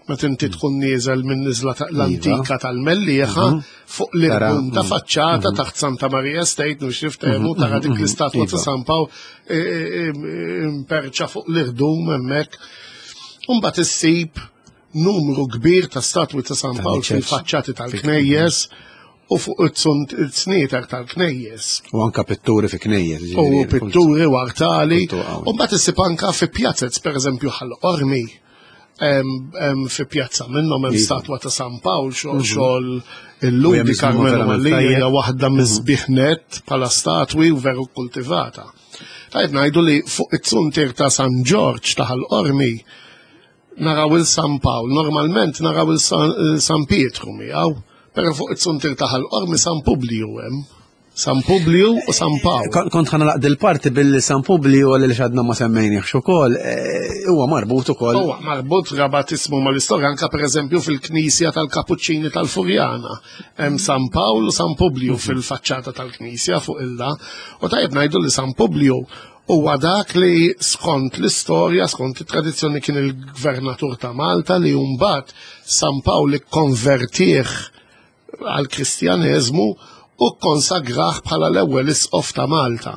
Meta inti tkun nieżel minn niżla l-antika iva. tal-Mellieħa mhm. fuq l-irbum ta' mhm. faċċata mhm. taħt Santa Maria State, nux niftehmu tara dik l-istatwa ta' iva. San Pawl e, e, e, imperċa fuq l-irdum hemmhekk. Imbagħad issib numru kbir ta' statwi ta' San Pawl fil-faċċati tal-knejjes u fuq it-snieter tal-knejjes. U anka pitturi fi knejjes. U pitturi u artali. U mbagħad issib anka fi pjazez, pereżempju ħal Ormi fi pjazza minnhom hemm iva. statwa ta' San Pawl xogħol mhm. xogħol illum di Carmelo Mallia hija waħda mhm. miżbieħ bħala statwi u veru kultivata. Tajb ngħidu li fuq it-suntier ta' San Ġorġ ta' Ħal-Qormi naraw il-San Pawl, normalment naraw il-San Pietru miegħu, però fuq it-suntier ta' Ħal-Qormi San Publiju hemm. San Publiju u San Pawl. Kont ħana laqd il-parti billi San Publiju għalli li xadna ma semmejniex ukoll, eh, huwa marbut ukoll. Huwa marbut rabat ismu mal-istorja anka pereżempju fil-Knisja tal-Kapuċċini tal-Furjana. Hemm San Pawl u San Publiju mhm. fil-faċċata tal-Knisja fuq il-da. U tajjeb ngħidu li San Publiju Huwa dak li skont l-istorja, skont it-tradizzjoni kien il-gvernatur ta' Malta li mbagħad San Pawl ikkonvertih għall-Kristjaneżmu u kkonsagrah bħala l-ewwel isqof ta' Malta.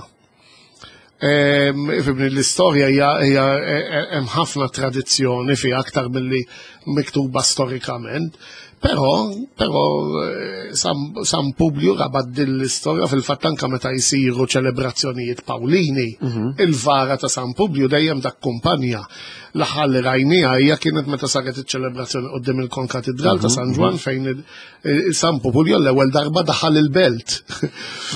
Ifimni l-istorja hija e, e, hemm ħafna tradizzjoni fi aktar milli miktuba storikament. Però, però eh, San, San Publiu rabat din l-istorja fil-fatt anka meta jsiru ċelebrazzjonijiet Pawlini, mhm. il-vara ta' San Publiu dejjem dakkumpanja. L-aħħar li rajniha hija kienet meta saret iċ-ċelebrazzjoni qudiem il-Konkatidral ta' mhm, San Ġwan mhm. fejn San Populio l-ewwel darba daħal il-belt.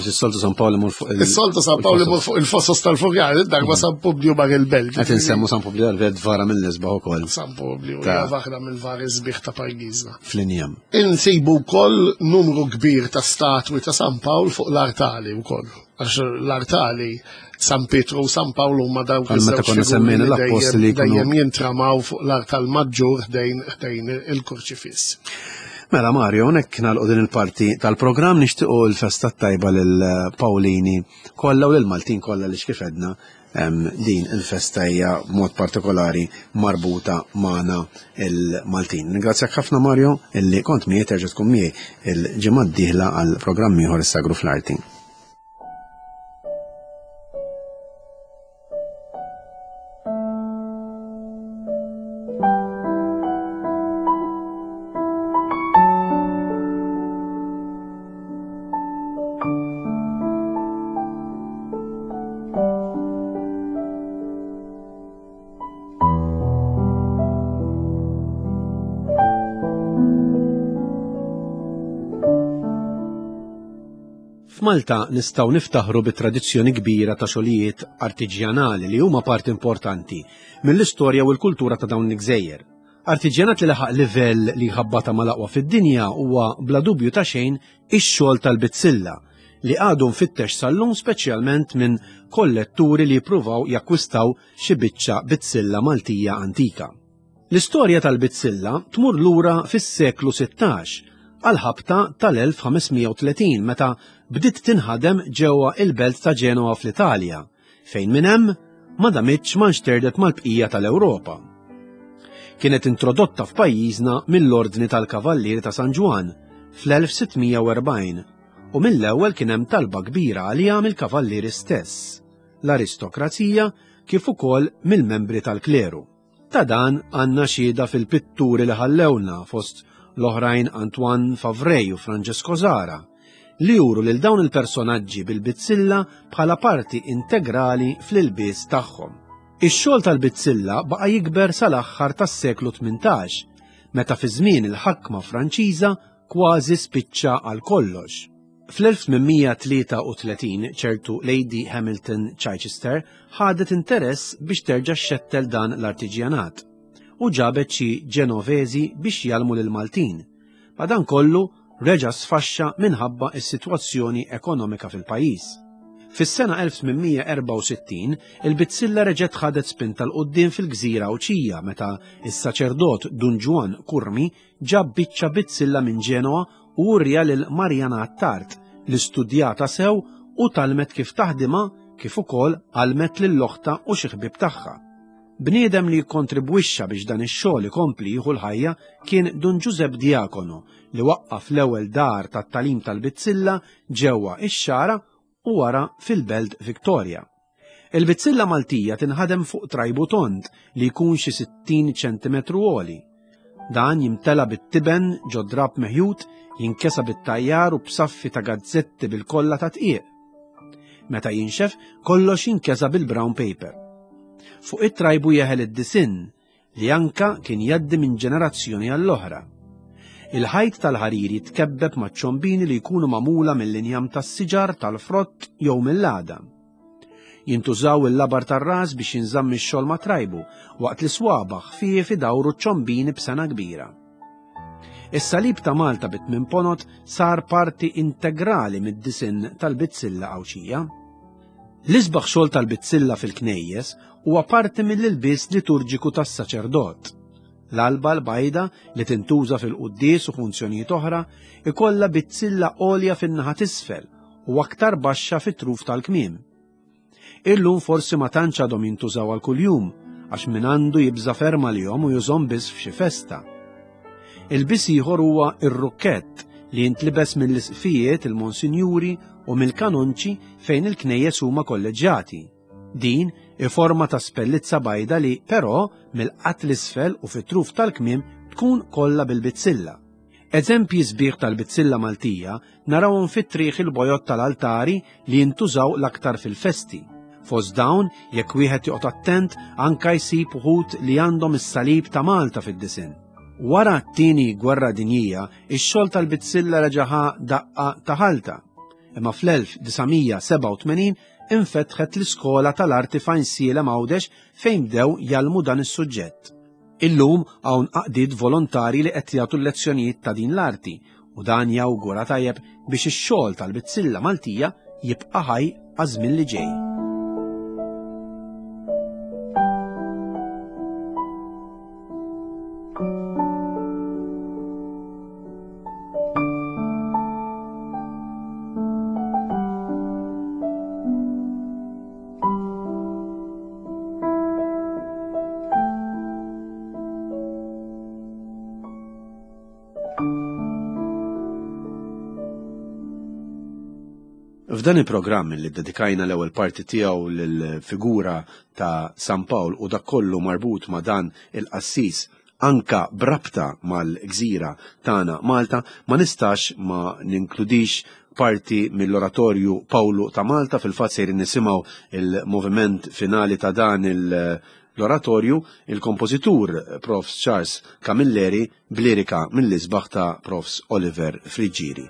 Is-soltu San Pawl imur fuq il- Is-soltu San Pawl imur fuq il-fossos tal-Furjana, darba San Publio mar il-belt. Qed insemmu San Publio għal vara mill-isbaħ ukoll. San Publio hija waħda mill-vari sbieħ ta' pajjiżna. Fl-injam. Insibu wkoll numru kbir ta' statwi ta' San Pawl fuq l-artali wkoll. Għax l-artali San Pietru u San Pawl huma dawk meta konna semmejna l-appostli dejjem jintramaw fuq l-artal maġġur ħdejn il-kurċifiss. Mela Mario, hawnhekk nagħlqu din il-parti tal-programm nixtiequ l-festa tajba lil Pawlini kollha u lil Maltin kollha li kif edna din il-festa hija b'mod partikolari marbuta magħna il-Maltin. Ningrazzjak ħafna Mario illi kont miegħi terġa' tkun miegħi il-ġimgħa d-dieħla għal programm ieħor is-Sagru fl-Arti. F'Malta nistgħu niftaħru bi tradizzjoni kbira ta' xogħlijiet artiġjanali li huma parti importanti mill-istorja u l-kultura ta' dawn l-gżejjer. Artiġjanat li laħaq livell li jħabbata mal-aqwa fid-dinja huwa bla dubju ta' xejn ix-xogħol tal-bizzilla li għadu mfittex sal-lum speċjalment minn kolletturi li jippruvaw jakkwistaw xi biċċa bizzilla Maltija antika. L-istorja tal-bizzilla tmur lura fis-seklu 16 għall-ħabta tal-1530 meta bdiet tinħadem ġewwa il-belt ta' Ġenoa fl-Italja, fejn minn hemm ma damitx ma nxterdet mal-bqija tal-Ewropa. Kienet introdotta f'pajjiżna mill-Ordni tal-Kavallieri ta' San Ġwann fl-1640 u mill-ewwel kien hemm talba kbira għaliha mill-kavallieri stess, l-aristokrazija kif ukoll mill-membri tal-kleru. Ta' dan għandna xhieda fil-pitturi li ħallewna fost l-oħrajn Antoine Favray u Francesco Zara, li juru lil dawn il-personaġġi bil-bizzilla bħala parti integrali fl-ilbies tagħhom. Ix-xogħol tal-bizzilla baqa' jikber sal-aħħar tas-seklu 18, meta fi żmien il-ħakma Franċiża kważi spiċċa għal kollox. Fl-1833 ċertu Lady Hamilton Chichester ħadet interess biex terġa' xxettel dan l-artiġjanat u ġabet xi Ġenoveżi biex jgħallmu lill-Maltin. Madankollu reġa' sfaxxa minħabba s-sitwazzjoni ekonomika fil-pajjiż. Fis-sena 1864 il-bizzilla reġgħet ħadet spinta 'l quddiem fil-gżira Għawdxija meta s-saċerdot Dun Ġwann Curmi ġab biċċa bizzilla minn Ġenoa u urja lil Marjana Attard li studjata sew u tgħallmet kif taħdimha kif ukoll għallmet lil oħtha u xi ħbieb tagħha. Bniedem li kkontribwixxa biex dan ix-xogħol ikompli jieħu l-ħajja kien Dun Ġużepp Diacono li waqqaf l-ewwel dar tat-tagħlim tal-bizzilla ġewwa ix-Xagħra u wara fil-Belt Victoria. Il-bizzilla Maltija tinħadem fuq trajbu tond li jkun xi 60 ċentimetru għoli. Dan jimtela bit-tiben ġo drab meħjut, jinkesa bit-tajjar u b'saffi ta' gazzetti bil-kolla ta' tqiq. Meta jinxef, kollox jinkesa bil-brown paper. Fuq it-trajbu jeħel id-disinn li anka kien jgħaddi minn ġenerazzjoni għall-oħra. Il-ħajt tal-ħarir jitkebbeb ma' ċombini li jkunu magħmula mill-injam tas-siġar, tal-frott jew mill-għadam. Jintużaw il-labar tar-ras biex jinżamm ix-xogħol ma' trajbu, waqt li swaba' ħfief idawru ċ-ċombini b'sengħa kbira. Is-salib ta' Malta bi tmien ponot sar parti integrali mid-disinn tal-bizzilla Għawdxija. L-isbaħ xogħol tal-bizzilla fil-knejjes huwa parti mill-ilbies liturġiku tas-saċerdot. L-alba l-bajda li tintuża fil-quddies u funzjonijiet oħra ikollha bizzilla għolja fin-naħa t'isfel u aktar baxxa fit-truf tal-kmiem. Illum forsi ma tantx għadhom jintużaw għal kuljum għax min għandu jibża' ferm għalihom u jużhom biss f'xi festa. Ilbies ieħor huwa r-rukkett li jintlibes mill-isqfijiet, il-monsinjuri u mill-kanonċi fejn il-knejjes huma kolleġġjati. Din hi forma ta' spellizza bajda li, però, mill-qadd 'l isfel u fit-truf tal-kmiem tkun kollha bil-bizzilla. Eżempji sbieħ tal-bizzilla Maltija narawhom fit-trieħ il-bojod tal-altari li jintużaw l-aktar fil-festi. Fost dawn, jekk wieħed joqgħod attent, anka jsib uħud li għandhom is-salib ta' Malta fid-disinn. Wara t-Tieni Gwerra Dinjija, ix-xogħol tal-bizzilla reġa' ħa daqqa ta' ħalta. Imma fl-1987 infetħet l-Iskola tal-Arti f'Għajnsielem Għawdex fejn bdew jgħallmu dan is-suġġett. Illum hawn għaqdiet volontarji li qed jagħtu l-lezzjonijiet ta' din l-arti u dan jawgura tajjeb biex ix-xogħol tal-bizzilla Maltija jibqa' ħaj għaż-żmien li ġej. F'dan il-programm li ddedikajna l-ewwel parti tiegħu lill-figura ta' San Pawl u dak kollu marbut ma' dan il-qassis anka b'rabta mal-gżira tagħna Malta, ma nistax ma ninkludix parti mill-oratorju Pawlu ta' Malta, fil-fatt sejrin nisimgħu il-moviment finali ta' dan l-oratorju, il-kompożitur Profs Charles Camilleri b'lirika mill-isbaħ ta' Profs Oliver Friggieri.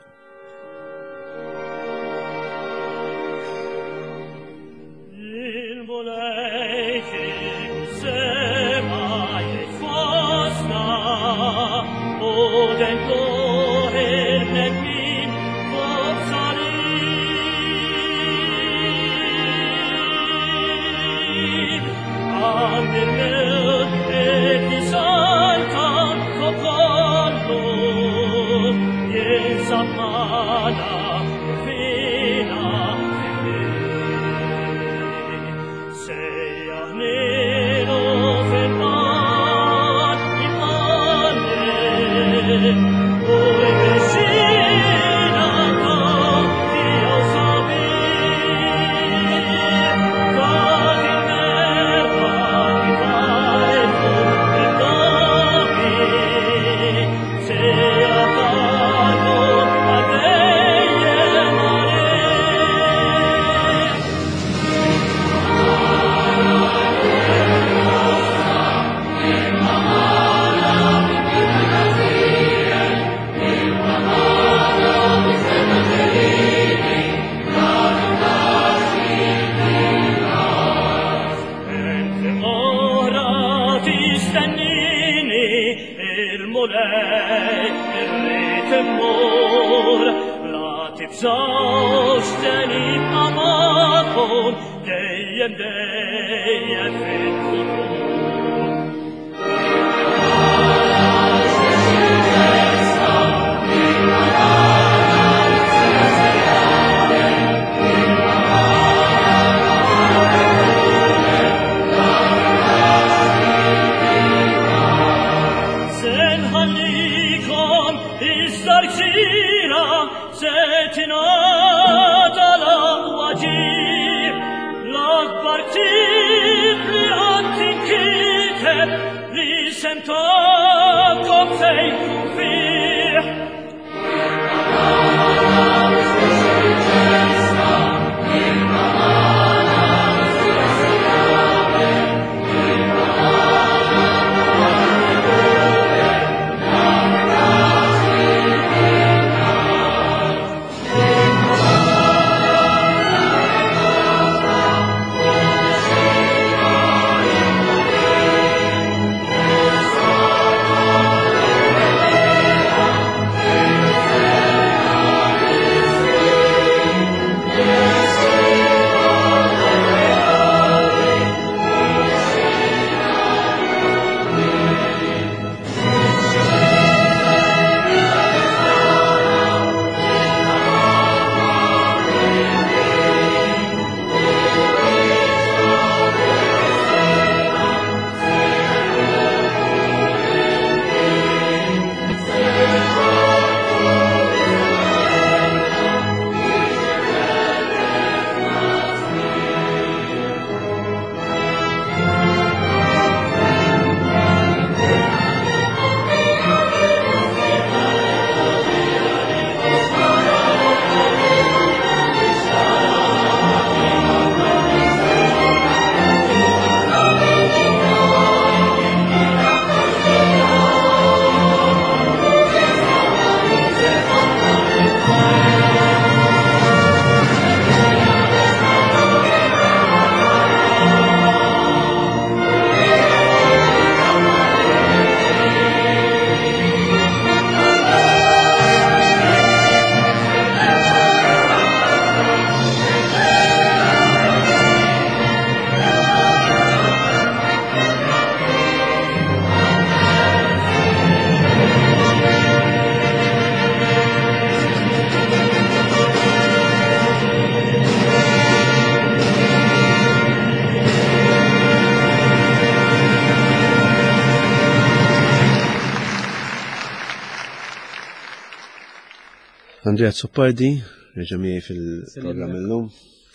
Andrea Zoppardi, reġa' miegħi fil-programm illum.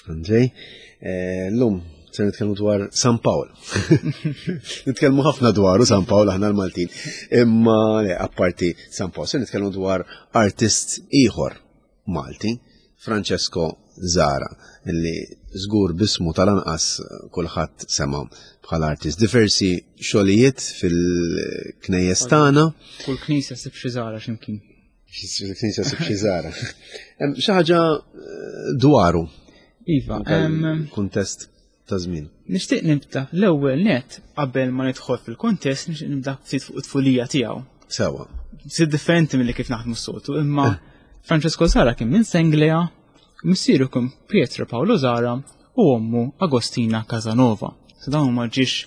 Andrej, eh, llum se nitkellmu dwar San Pawl. Nitkellmu ħafna dwaru San Pawl aħna l-Maltin. Imma le, apparti San Pawl, se nitkellmu dwar artist ieħor Malti, Francesco Zara, li żgur bismu tal-anqas kulħadd sema bħala artist. Diversi xogħlijiet fil-knejjes tagħna. Kull knisja sib xi Zara x'imkien. Knisja sib xi Zara. Xi ħaġa eh, dwaru. Iva, kuntest ta' żmien. Nixtieq nibda l-ewwel net qabel ma nidħol fil-kuntest nixtieq nibda ftit fuq it-tfulija tiegħu. Sewa. Ftit differenti milli kif naħdmu s-soltu, imma eh. Francesco Zara kien minn Senglea, missieru kien Pietro Paolo Zara u ommu Agostina Casanova. So dawn huma ġiex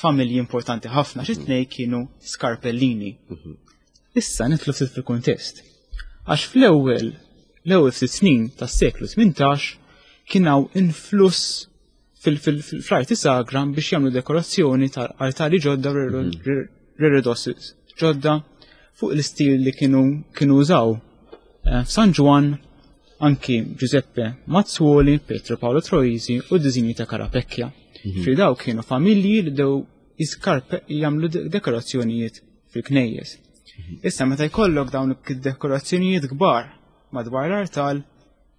familji importanti ħafna xi tnej kienu skarpellini. Mhm. Issa nidħlu ftit fil-kuntest. Għax fl-ewwel l-ewwel ftit snin tas-seklu 18 kien hawn influss fl-arti sagra biex jagħmlu dekorazzjoni tal-artali ġodda mhm. reredos ġodda fuq l-istil li kienu kienu użaw. Eh, F'San Ġwann anki Giuseppe Mazzuoli, Pietro Paolo Troisi u d-diżinji ta' Carapecchia. Mhm. Fi daw kienu familji li dew jiskarpe jagħmlu dekorazzjonijiet fil-knejjes. Issa meta jkollok dawn id-dekorazzjonijiet kbar madwar l-artal,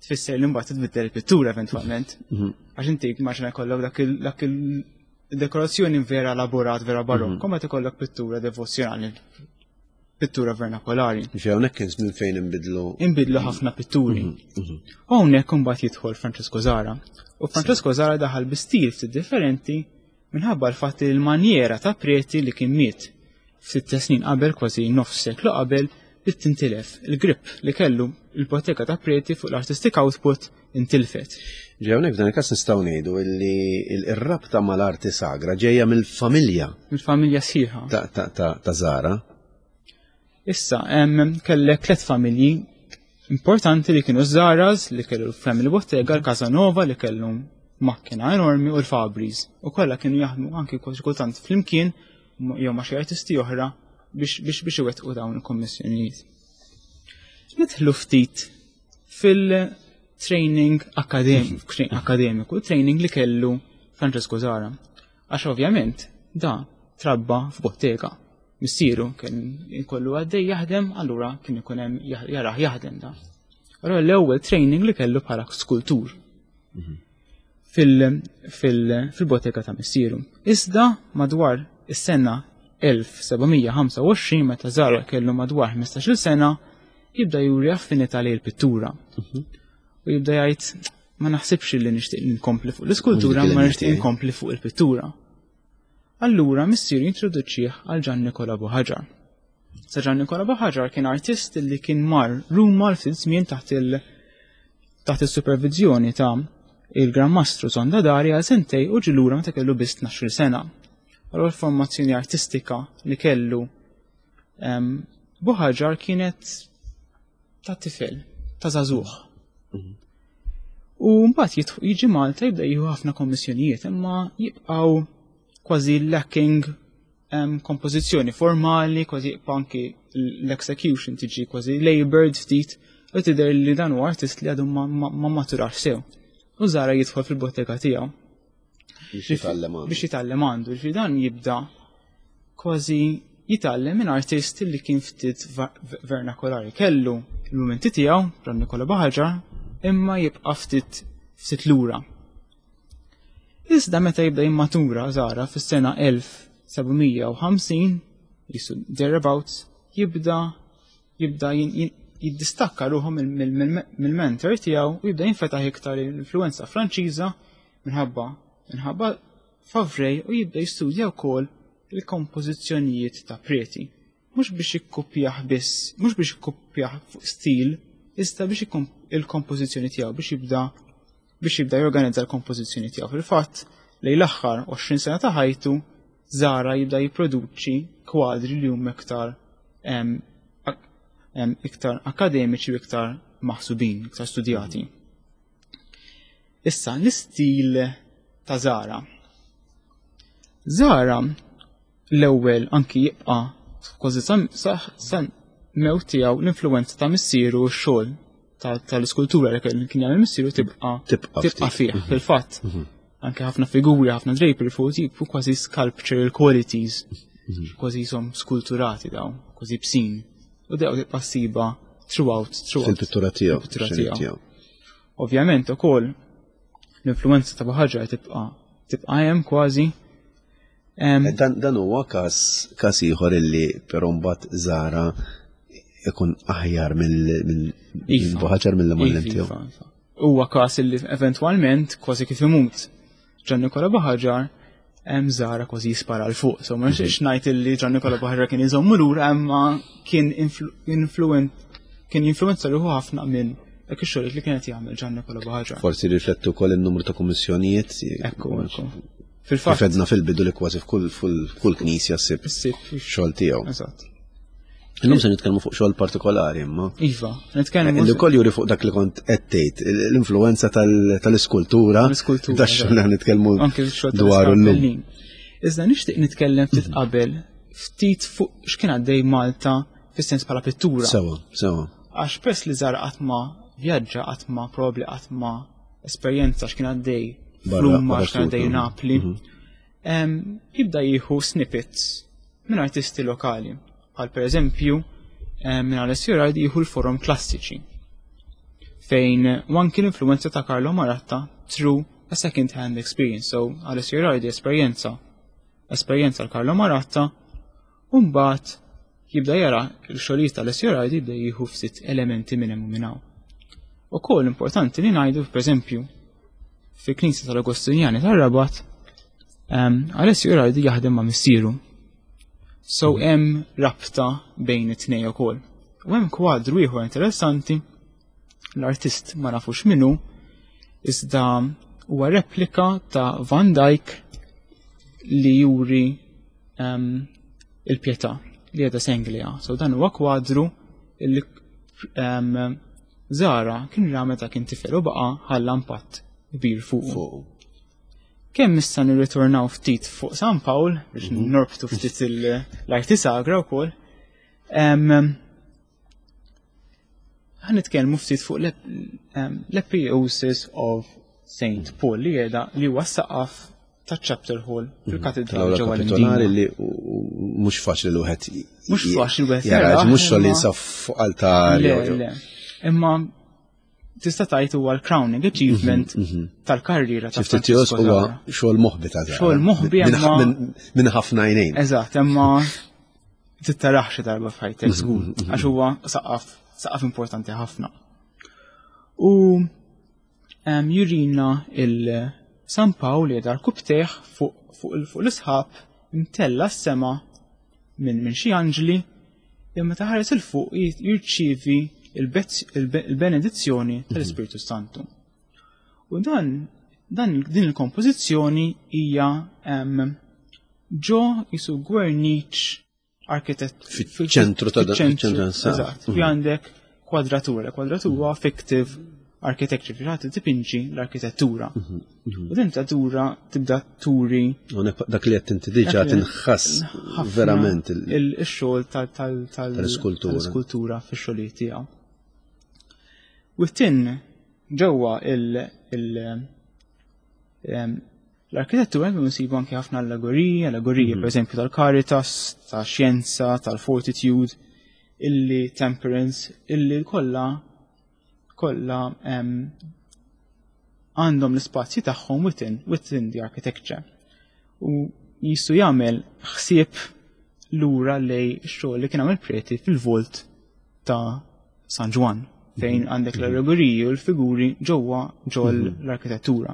tfisser li mbagħad tbiddel il-pittura eventwalment. Mhm. Għax inti maġna jkollok dak il-dekorazzjoni vera elaborat, vera barokko, mhm. meta jkollok pittura devozzjonali, pittura vernakolari. Ġi hawnhekk kien żmien fejn inbidlu. Inbidlu ħafna pitturi. Mhm, u hawnhekk imbagħad jidħol Francesco Zara. U Francesco Zara daħal bi stil ftit differenti minħabba l-fatt li l-manjera ta' Preti li kien miet ftit snin qabel, kważi nofs seklu qabel, bdiet tintilef. Il-grip li kellu l-bottega ta' Preti fuq l-artistic output intilfet. Ġej hawnhekk f'dan il-każ nistgħu ngħidu li r-rabta mal-arti sagra ġejja mill-familja. Mill-familja sħiħa. Ta' Zara. Issa, kellek tlet familji importanti li kienu Zaras, li kellu l-Family Bottega, l-Casanova li kellu makkina enormi u l-Fabris. U kollha kienu jaħdmu anki kultant flimkien jew ma' xi artisti oħra biex biex biex iwettqu dawn il-kommissjonijiet. Nidħlu ftit fil-training akademiku, training li kellu Francesco Zara. Għax ovvjament da trabba f'bottega. Missieru kien ikollu għaddej jaħdem, allura kien ikun hemm jarah jaħdem da. Allura l-ewwel training li kellu bħala skultur mhm. fil-bottega ta' missieru. Iżda madwar is-sena 1725 meta Zara kellu madwar 15-il sena jibda juri affinità lejn il-pittura. Mhm. U jibda jgħid ma naħsibx li nixtieq nkompli fuq l-iskultura, ma nixtieq nkompli fuq il-pittura. Allura missieru jintroduċih għal Ġan Nikola Buħaġar. Sa Ġan Nikola Buħaġar kien artist li kien mar Ruma l ftit żmien taħt il taħt is-supervizjoni ta' il-Gran Mastru Zonda Dari għal sentej u ġilura meta kellu biss 12 sena. Allura l-formazzjoni artistika li kellu Buħaġar kienet ta' tifel, ta' żagħżugħ. Mhm. U mbagħad jiġi Malta jibda jieħu ħafna kommissjonijiet, imma jibqgħu kważi lacking kompożizzjoni formali, kważi anki l-execution tiġi kważi labored ftit, u tidher li dan huwa artist li għadu ma maturax sew. U Zara jidħol fil-bottega tiegħu. Biex jitgħallem għandu. Biex jitgħallem għandu, ġifieri dan jibda kważi jitgħallem minn artist li kien ftit vernakolari. Kellu l-mumenti tiegħu, Ron Nikola Baħaġar, imma jibqa' ftit ftit lura. Iżda meta jibda jimmatura Zara fis-sena 1750, jisu thereabouts, jibda jibda jiddistakka ruħu mill-mentor tiegħu u jibda jinfetaħ iktar l-influenza Franċiża minħabba minħabba Favrej u jibda jistudja wkoll il-kompożizzjonijiet ta' Preti. Mhux biex jikkupjah biss, mhux biex jikkupjah fuq stil, iżda biex il-kompożizzjoni tiegħu biex jibda biex jibda jorganizza l-kompożizzjoni tiegħu. Fil-fatt, lejn l-aħħar 20 sena ta' ħajtu, Zara jibda jipproduċi kwadri li huma iktar iktar akademiċi u iktar maħsubin, iktar studjati. Issa, l-istil ta' Zara. Zara l-ewwel anki jibqa' kważi sa mewt tiegħu l-influenza ta' missieru u x-xogħol. tal-iskultura li kien jagħmel missieru tibqa' tibqa' fih mhm. fil-fatt. Mhm. Anke ħafna figuri, ħafna drapery fuq jibqu kważi sculptural qualities, mhm. kważi jisom skulturati daw, kważi bsin. U dew tibqa' ssiba throughout, throughout. Fil-pittura tiegħu. Fil-pittura tiegħu. Ovvjament ukoll l-influenza ta' ħaġa tibqa' tibqa' hemm kważi. Eh, dan huwa każ każ ieħor illi però mbagħad Zara ikun aħjar mill-ħaġar iva. mill-imgħallem iva, tiegħu. Iva, iva. Huwa każ illi eventwalment kważi kif imut Ġan Nikola Baħaġar hemm Zara kważi jispara l fuq. So ma nixtieqx mhm. ngħid illi Ġan Nikola Baħaġar kien iżommu lura imma kien influent kien jinfluenza ruħu ħafna minn dak ix-xogħol li kienet jagħmel Ġan Nikola Baħaġar. Forsi riflettu wkoll in-numru ta' kummissjonijiet. Ekku, ekku. Fil-fatt. Kif edna fil-bidu li kważi f'kull knisja ssib xogħol tiegħu. Eżatt. Illum se nitkellmu fuq xogħol partikolari imma. Iva, nitkellmu. Li wkoll juri fuq dak li kont qed tgħid, l-influenza tal-iskultura. L-iskultura. Dax xogħol li nitkellmu dwar illum. Iżda nixtieq nitkellem ftit mhm. qabel ftit fuq x'kien għaddej Malta fis-sens bħala pittura. Sewa, sewa. Għax pers li żar qatt ma vjaġġa qatt ma probabbli qatt ma esperjenza x'kien għaddej f'Ruma, x'kien għaddej Napli. Mhm. Jibda jieħu snippets minn artisti lokali. Bħal pereżempju minn Alessio Rardi jieħu l-forum klassiċi fejn anki l-influenza ta' Carlo Maratta through a second hand experience. So Alessio Rardi esperjenza esperjenza l-Carlo Maratta u mbagħad jibda jara l-xogħlijiet tal-Alessio Rardi jibda jieħu ftit elementi minn hemm u minn hawn. Ukoll importanti li ngħidu pereżempju fil-Knisja tal-Agostinjani tar-Rabat Alessio Rardi jaħdem ma' missieru. So mhm. hemm rabta bejn it-tnej ukoll. U hemm kwadru ieħor interessanti l-artist ma nafux minnu iżda huwa replika ta' Van Dyck li juri um, il-pietà li għedha Senglea. So dan huwa kwadru li um, Zara kien ra meta kien tifel u baqa' ħalla impatt kbir fuqu. Kemm issa nirritornaw ftit fuq San Pawl biex mhm. norbtu ftit l-arti sagra wkoll. Ħa nitkellmu ftit fuq l-Epiosis of St. Paul li jeda li huwa saqaf ta' chapter hall mhm. fil-katedral ġewwa l li mhux faċli l wieħed mhux faċli wieħed jara mhux xogħol jinsab fuq altar. Imma tista' tgħid huwa l-crowning achievement mhm, mhm. tal-karriera ta' Ftit huwa xogħol moħbi ta' Xogħol moħbi minn ħafna għajnejn. Eżatt, imma tittarax xi darba f'ħajtek mhm, żgur, għax huwa saqaf saqaf importanti ħafna. U jurina il-San Pawl li dar kubteħ fuq l-isħab imtella s-sema minn xi anġli imma meta ħares il fuq jirċievi il-benedizzjoni mhm. tal-Ispirtu Santu. U dan, dan din il-kompożizzjoni hija ġo jisu gwerniċ arkitett fiċ-ċentru ta' ċentru. Eżatt, fi mhm. għandek kwadratura, kwadratura fictive architecture, fi ħadd tipinġi l-arkitettura. Mhm, mhm. U din ta' tibda turi. Dak li qed inti diġà tinħass verament il-xogħol tal-iskultura fix-xogħlijiet tiegħu. U t-tin ġewwa l-arkitettura hemm insibu anke ħafna allegoriji, allegoriji mhm. pereżempju tal-caritas, tax-xjenza, tal-fortitude, illi temperance, illi kollha kollha għandhom l-ispazji tagħhom within, within the architecture. U jisu jagħmel ħsieb lura lej xogħol li kien għamel preti fil-volt ta' San Ġwann fejn mhm. għandek mhm. l-allegoriji u l-figuri ġewwa ġol mhm. l-arkitettura.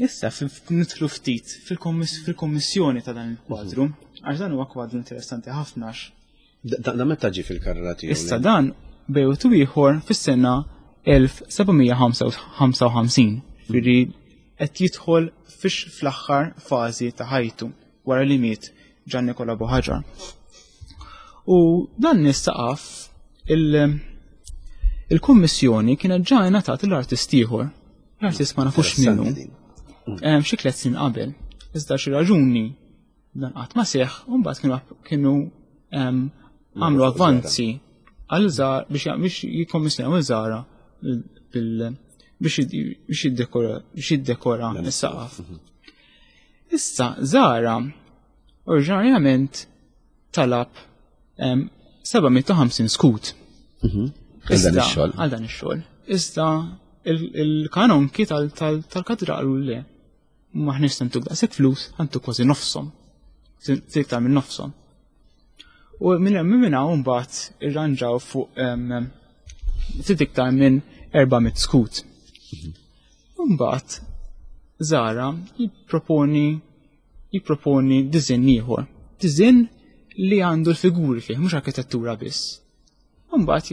Issa nidħlu ftit fil-kommissjoni ta' dan il-kwadru, għax dan huwa kwadru interessanti ħafna għax. Da meta ġie fil-karriera tiegħu? Issa dan bejwet u ieħor fis-sena 1755, firri qed jidħol fix fl-aħħar fażi ta' ħajtu wara li miet Ġan Nikola Buħaġar. U dan nistaqaf il-kummissjoni kienet ġa ngħatat l-artist ieħor L-artist ma nafux minnu. Xi tliet snin qabel. Iżda xi raġuni dan qatt ma seħħ, u mbagħad kienu kienu għamlu avvanzi. għal Zara biex jikkommissjonaw Zara biex jiddekora biex jiddekora s-saqaf. Issa Zara oriġinarjament talab 750 skut. Mhm. Għal dan ix-xogħol. Għal dan ix-xogħol. Iżda il-kanonki tal-katedral le. Maħniex se ntuk daqshekk flus, ħantuk kważi nofshom. Iktar minn nofshom. U minn hemm minn hawn mbagħad irranġaw fuq ftit iktar minn 400 skut. Mbagħad Zara jipproponi jipproponi diżinn ieħor. Diżinn li għandu l-figuri fih, mhux arkitettura biss. Mbagħad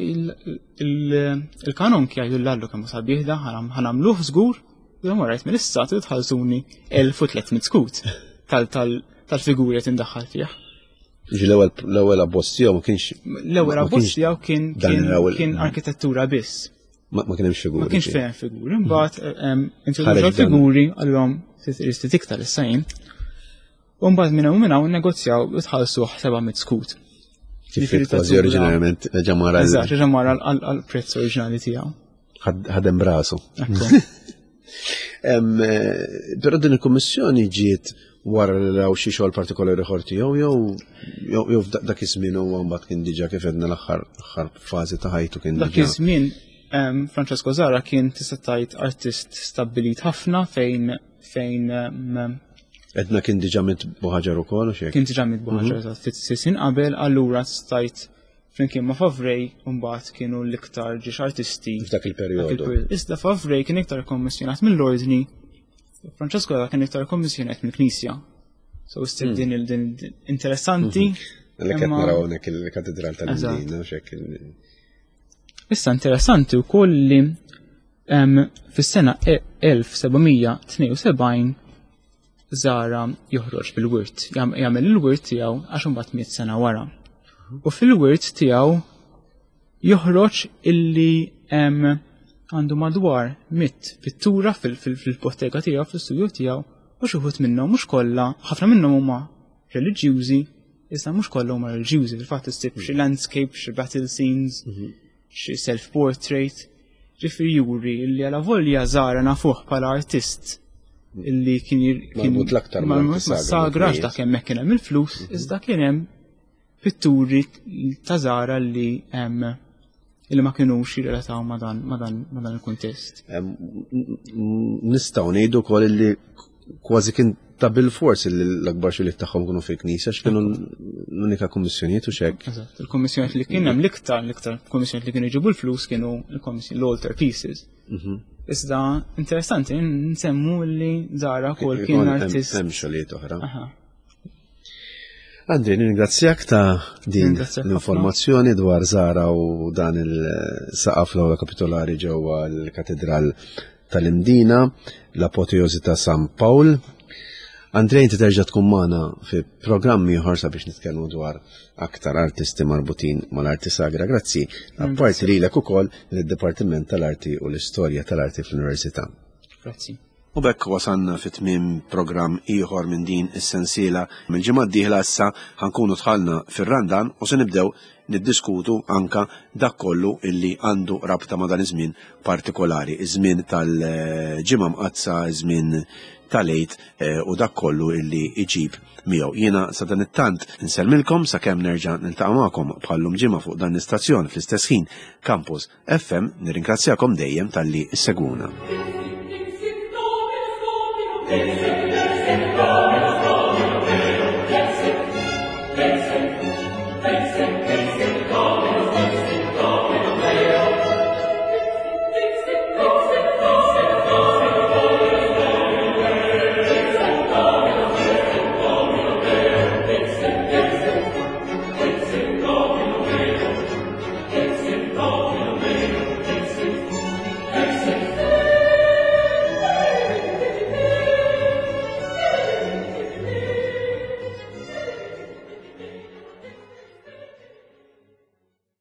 il-kanon jgħidu l-allu kemm sabiħ da ħanamluh żgur, jew rajt minn issa trid tħallsuni 1300 skut tal-figuri qed indaħħal fih. Ġi l-ewwel abbozz tiegħu ma kienx L-ewwel abbozz tiegħu kien kien arkitettura biss. Ma kien hemmx figuri. Ma kienx fejn figuri. Mbagħad introduċew figuri għalhom trid iktar issa jien. U mbagħad minn hawn minn hawn negozjaw u tħallsuh 700 skut. Ġifieri kważi oriġinarjament ġamara. Eżatt, ġamara għall-prezz oriġinali tiegħu. Ħadem brasu. Eh, però din il-kummissjoni ġiet wara li raw xi xogħol partikolari ieħor tiegħu jew jew dak iż-żmien huwa mbagħad kien diġà kif edna l-aħħar fażi ta' ħajtu kien Dak iż-żmien Francesco Zara kien tista' tgħid artist stabbilit ħafna fejn fejn Edna kien diġà mit buħaġar ukoll u xejn. Kien diġà mit buħaġar mhm. ftit sisin qabel, allura stajt flimkien ma' Favrej mbagħad kienu l-iktar ġiex artisti. F'dak il-perjodu. Iżda Favrej kien iktar kommissjonat mill-ordni, Francesco kien iktar kommissjonat mill-Knisja. So issib hmm. din il-din interessanti. Mhm. Għalhekk qed naraw hawnhekk il-Katedral tal-Mdina u xek. Issa interessanti wkoll li fis-sena 1772 Zara joħroġ bil-wirt, jagħmel il-wirt tiegħu għax imbagħad miet sena wara. U fil-wirt tiegħu joħroġ illi għandu madwar mit pittura fil-bottega tiegħu, fil-studio tiegħu, u xi wħud minnhom mhux kollha, ħafna minnhom huma reliġjużi, iżda mhux kollha huma reliġjużi, fil-fatt issib xi landscape, xi battle scenes, mhm. xi self-portrait, ġifieri juri li għala volja Zara nafuh bħala artist illi kien marbut l-aktar ma' sagra għax dak hemmhekk kien hemm il-flus, mhm. iżda kien hemm pitturi ta' Zara li hemm illi ma kinux jirrelataw ma' dan ma' dan ma' dan il-kuntest. Nistgħu ngħidu wkoll illi kważi kien ta' bil-fors li l-akbar xogħlijiet tagħhom kienu fil-knisja x'kienu l-unika kummissjonijiet u xek. Eżatt, il-kummissjonijiet li kien hemm l-iktar l-iktar kummissjonijiet li kienu jġibu l-flus kienu l-altar pieces. Mhm. Iżda interessanti nsemmu li Zara kol kien artist. Hemm xogħlijiet oħra. Andri, nirringrazzjak ta' din l-informazzjoni dwar Zara u dan il-saqaf l-awla kapitolari ġewwa l-Katedral tal-Imdina, l-Apoteosi ta' San Pawl. Andrej, inti terġa' tkun magħna fi programm ieħor sabiex nitkellmu dwar aktar artisti marbutin mal-arti sagra. Grazzi, apparti lilek ukoll lid-Dipartiment tal-Arti u l-Istorja tal-Arti fl-Università. Grazzi. U b'hekk wasalna fi tmiem programm ieħor minn din is-sensiela. Mill-ġimgħa d-dieħla issa ħankunu dħalna fir-Randan u se nibdew niddiskutu anka dak kollu illi għandu rabta ma' dan iż-żmien partikolari, iż-żmien tal-Ġimgħa Mqaddsa, iż-żmien tal-Għid eh, u dak kollu illi iġib miegħu. Jiena sa dan it-tant insellmilkom sakemm nerġa' niltaqa' magħkom bħallum ġimgħa fuq dan l-istazzjon fl-istess ħin Campus FM nirringrazzjakom dejjem talli ssegwuna. Thank you.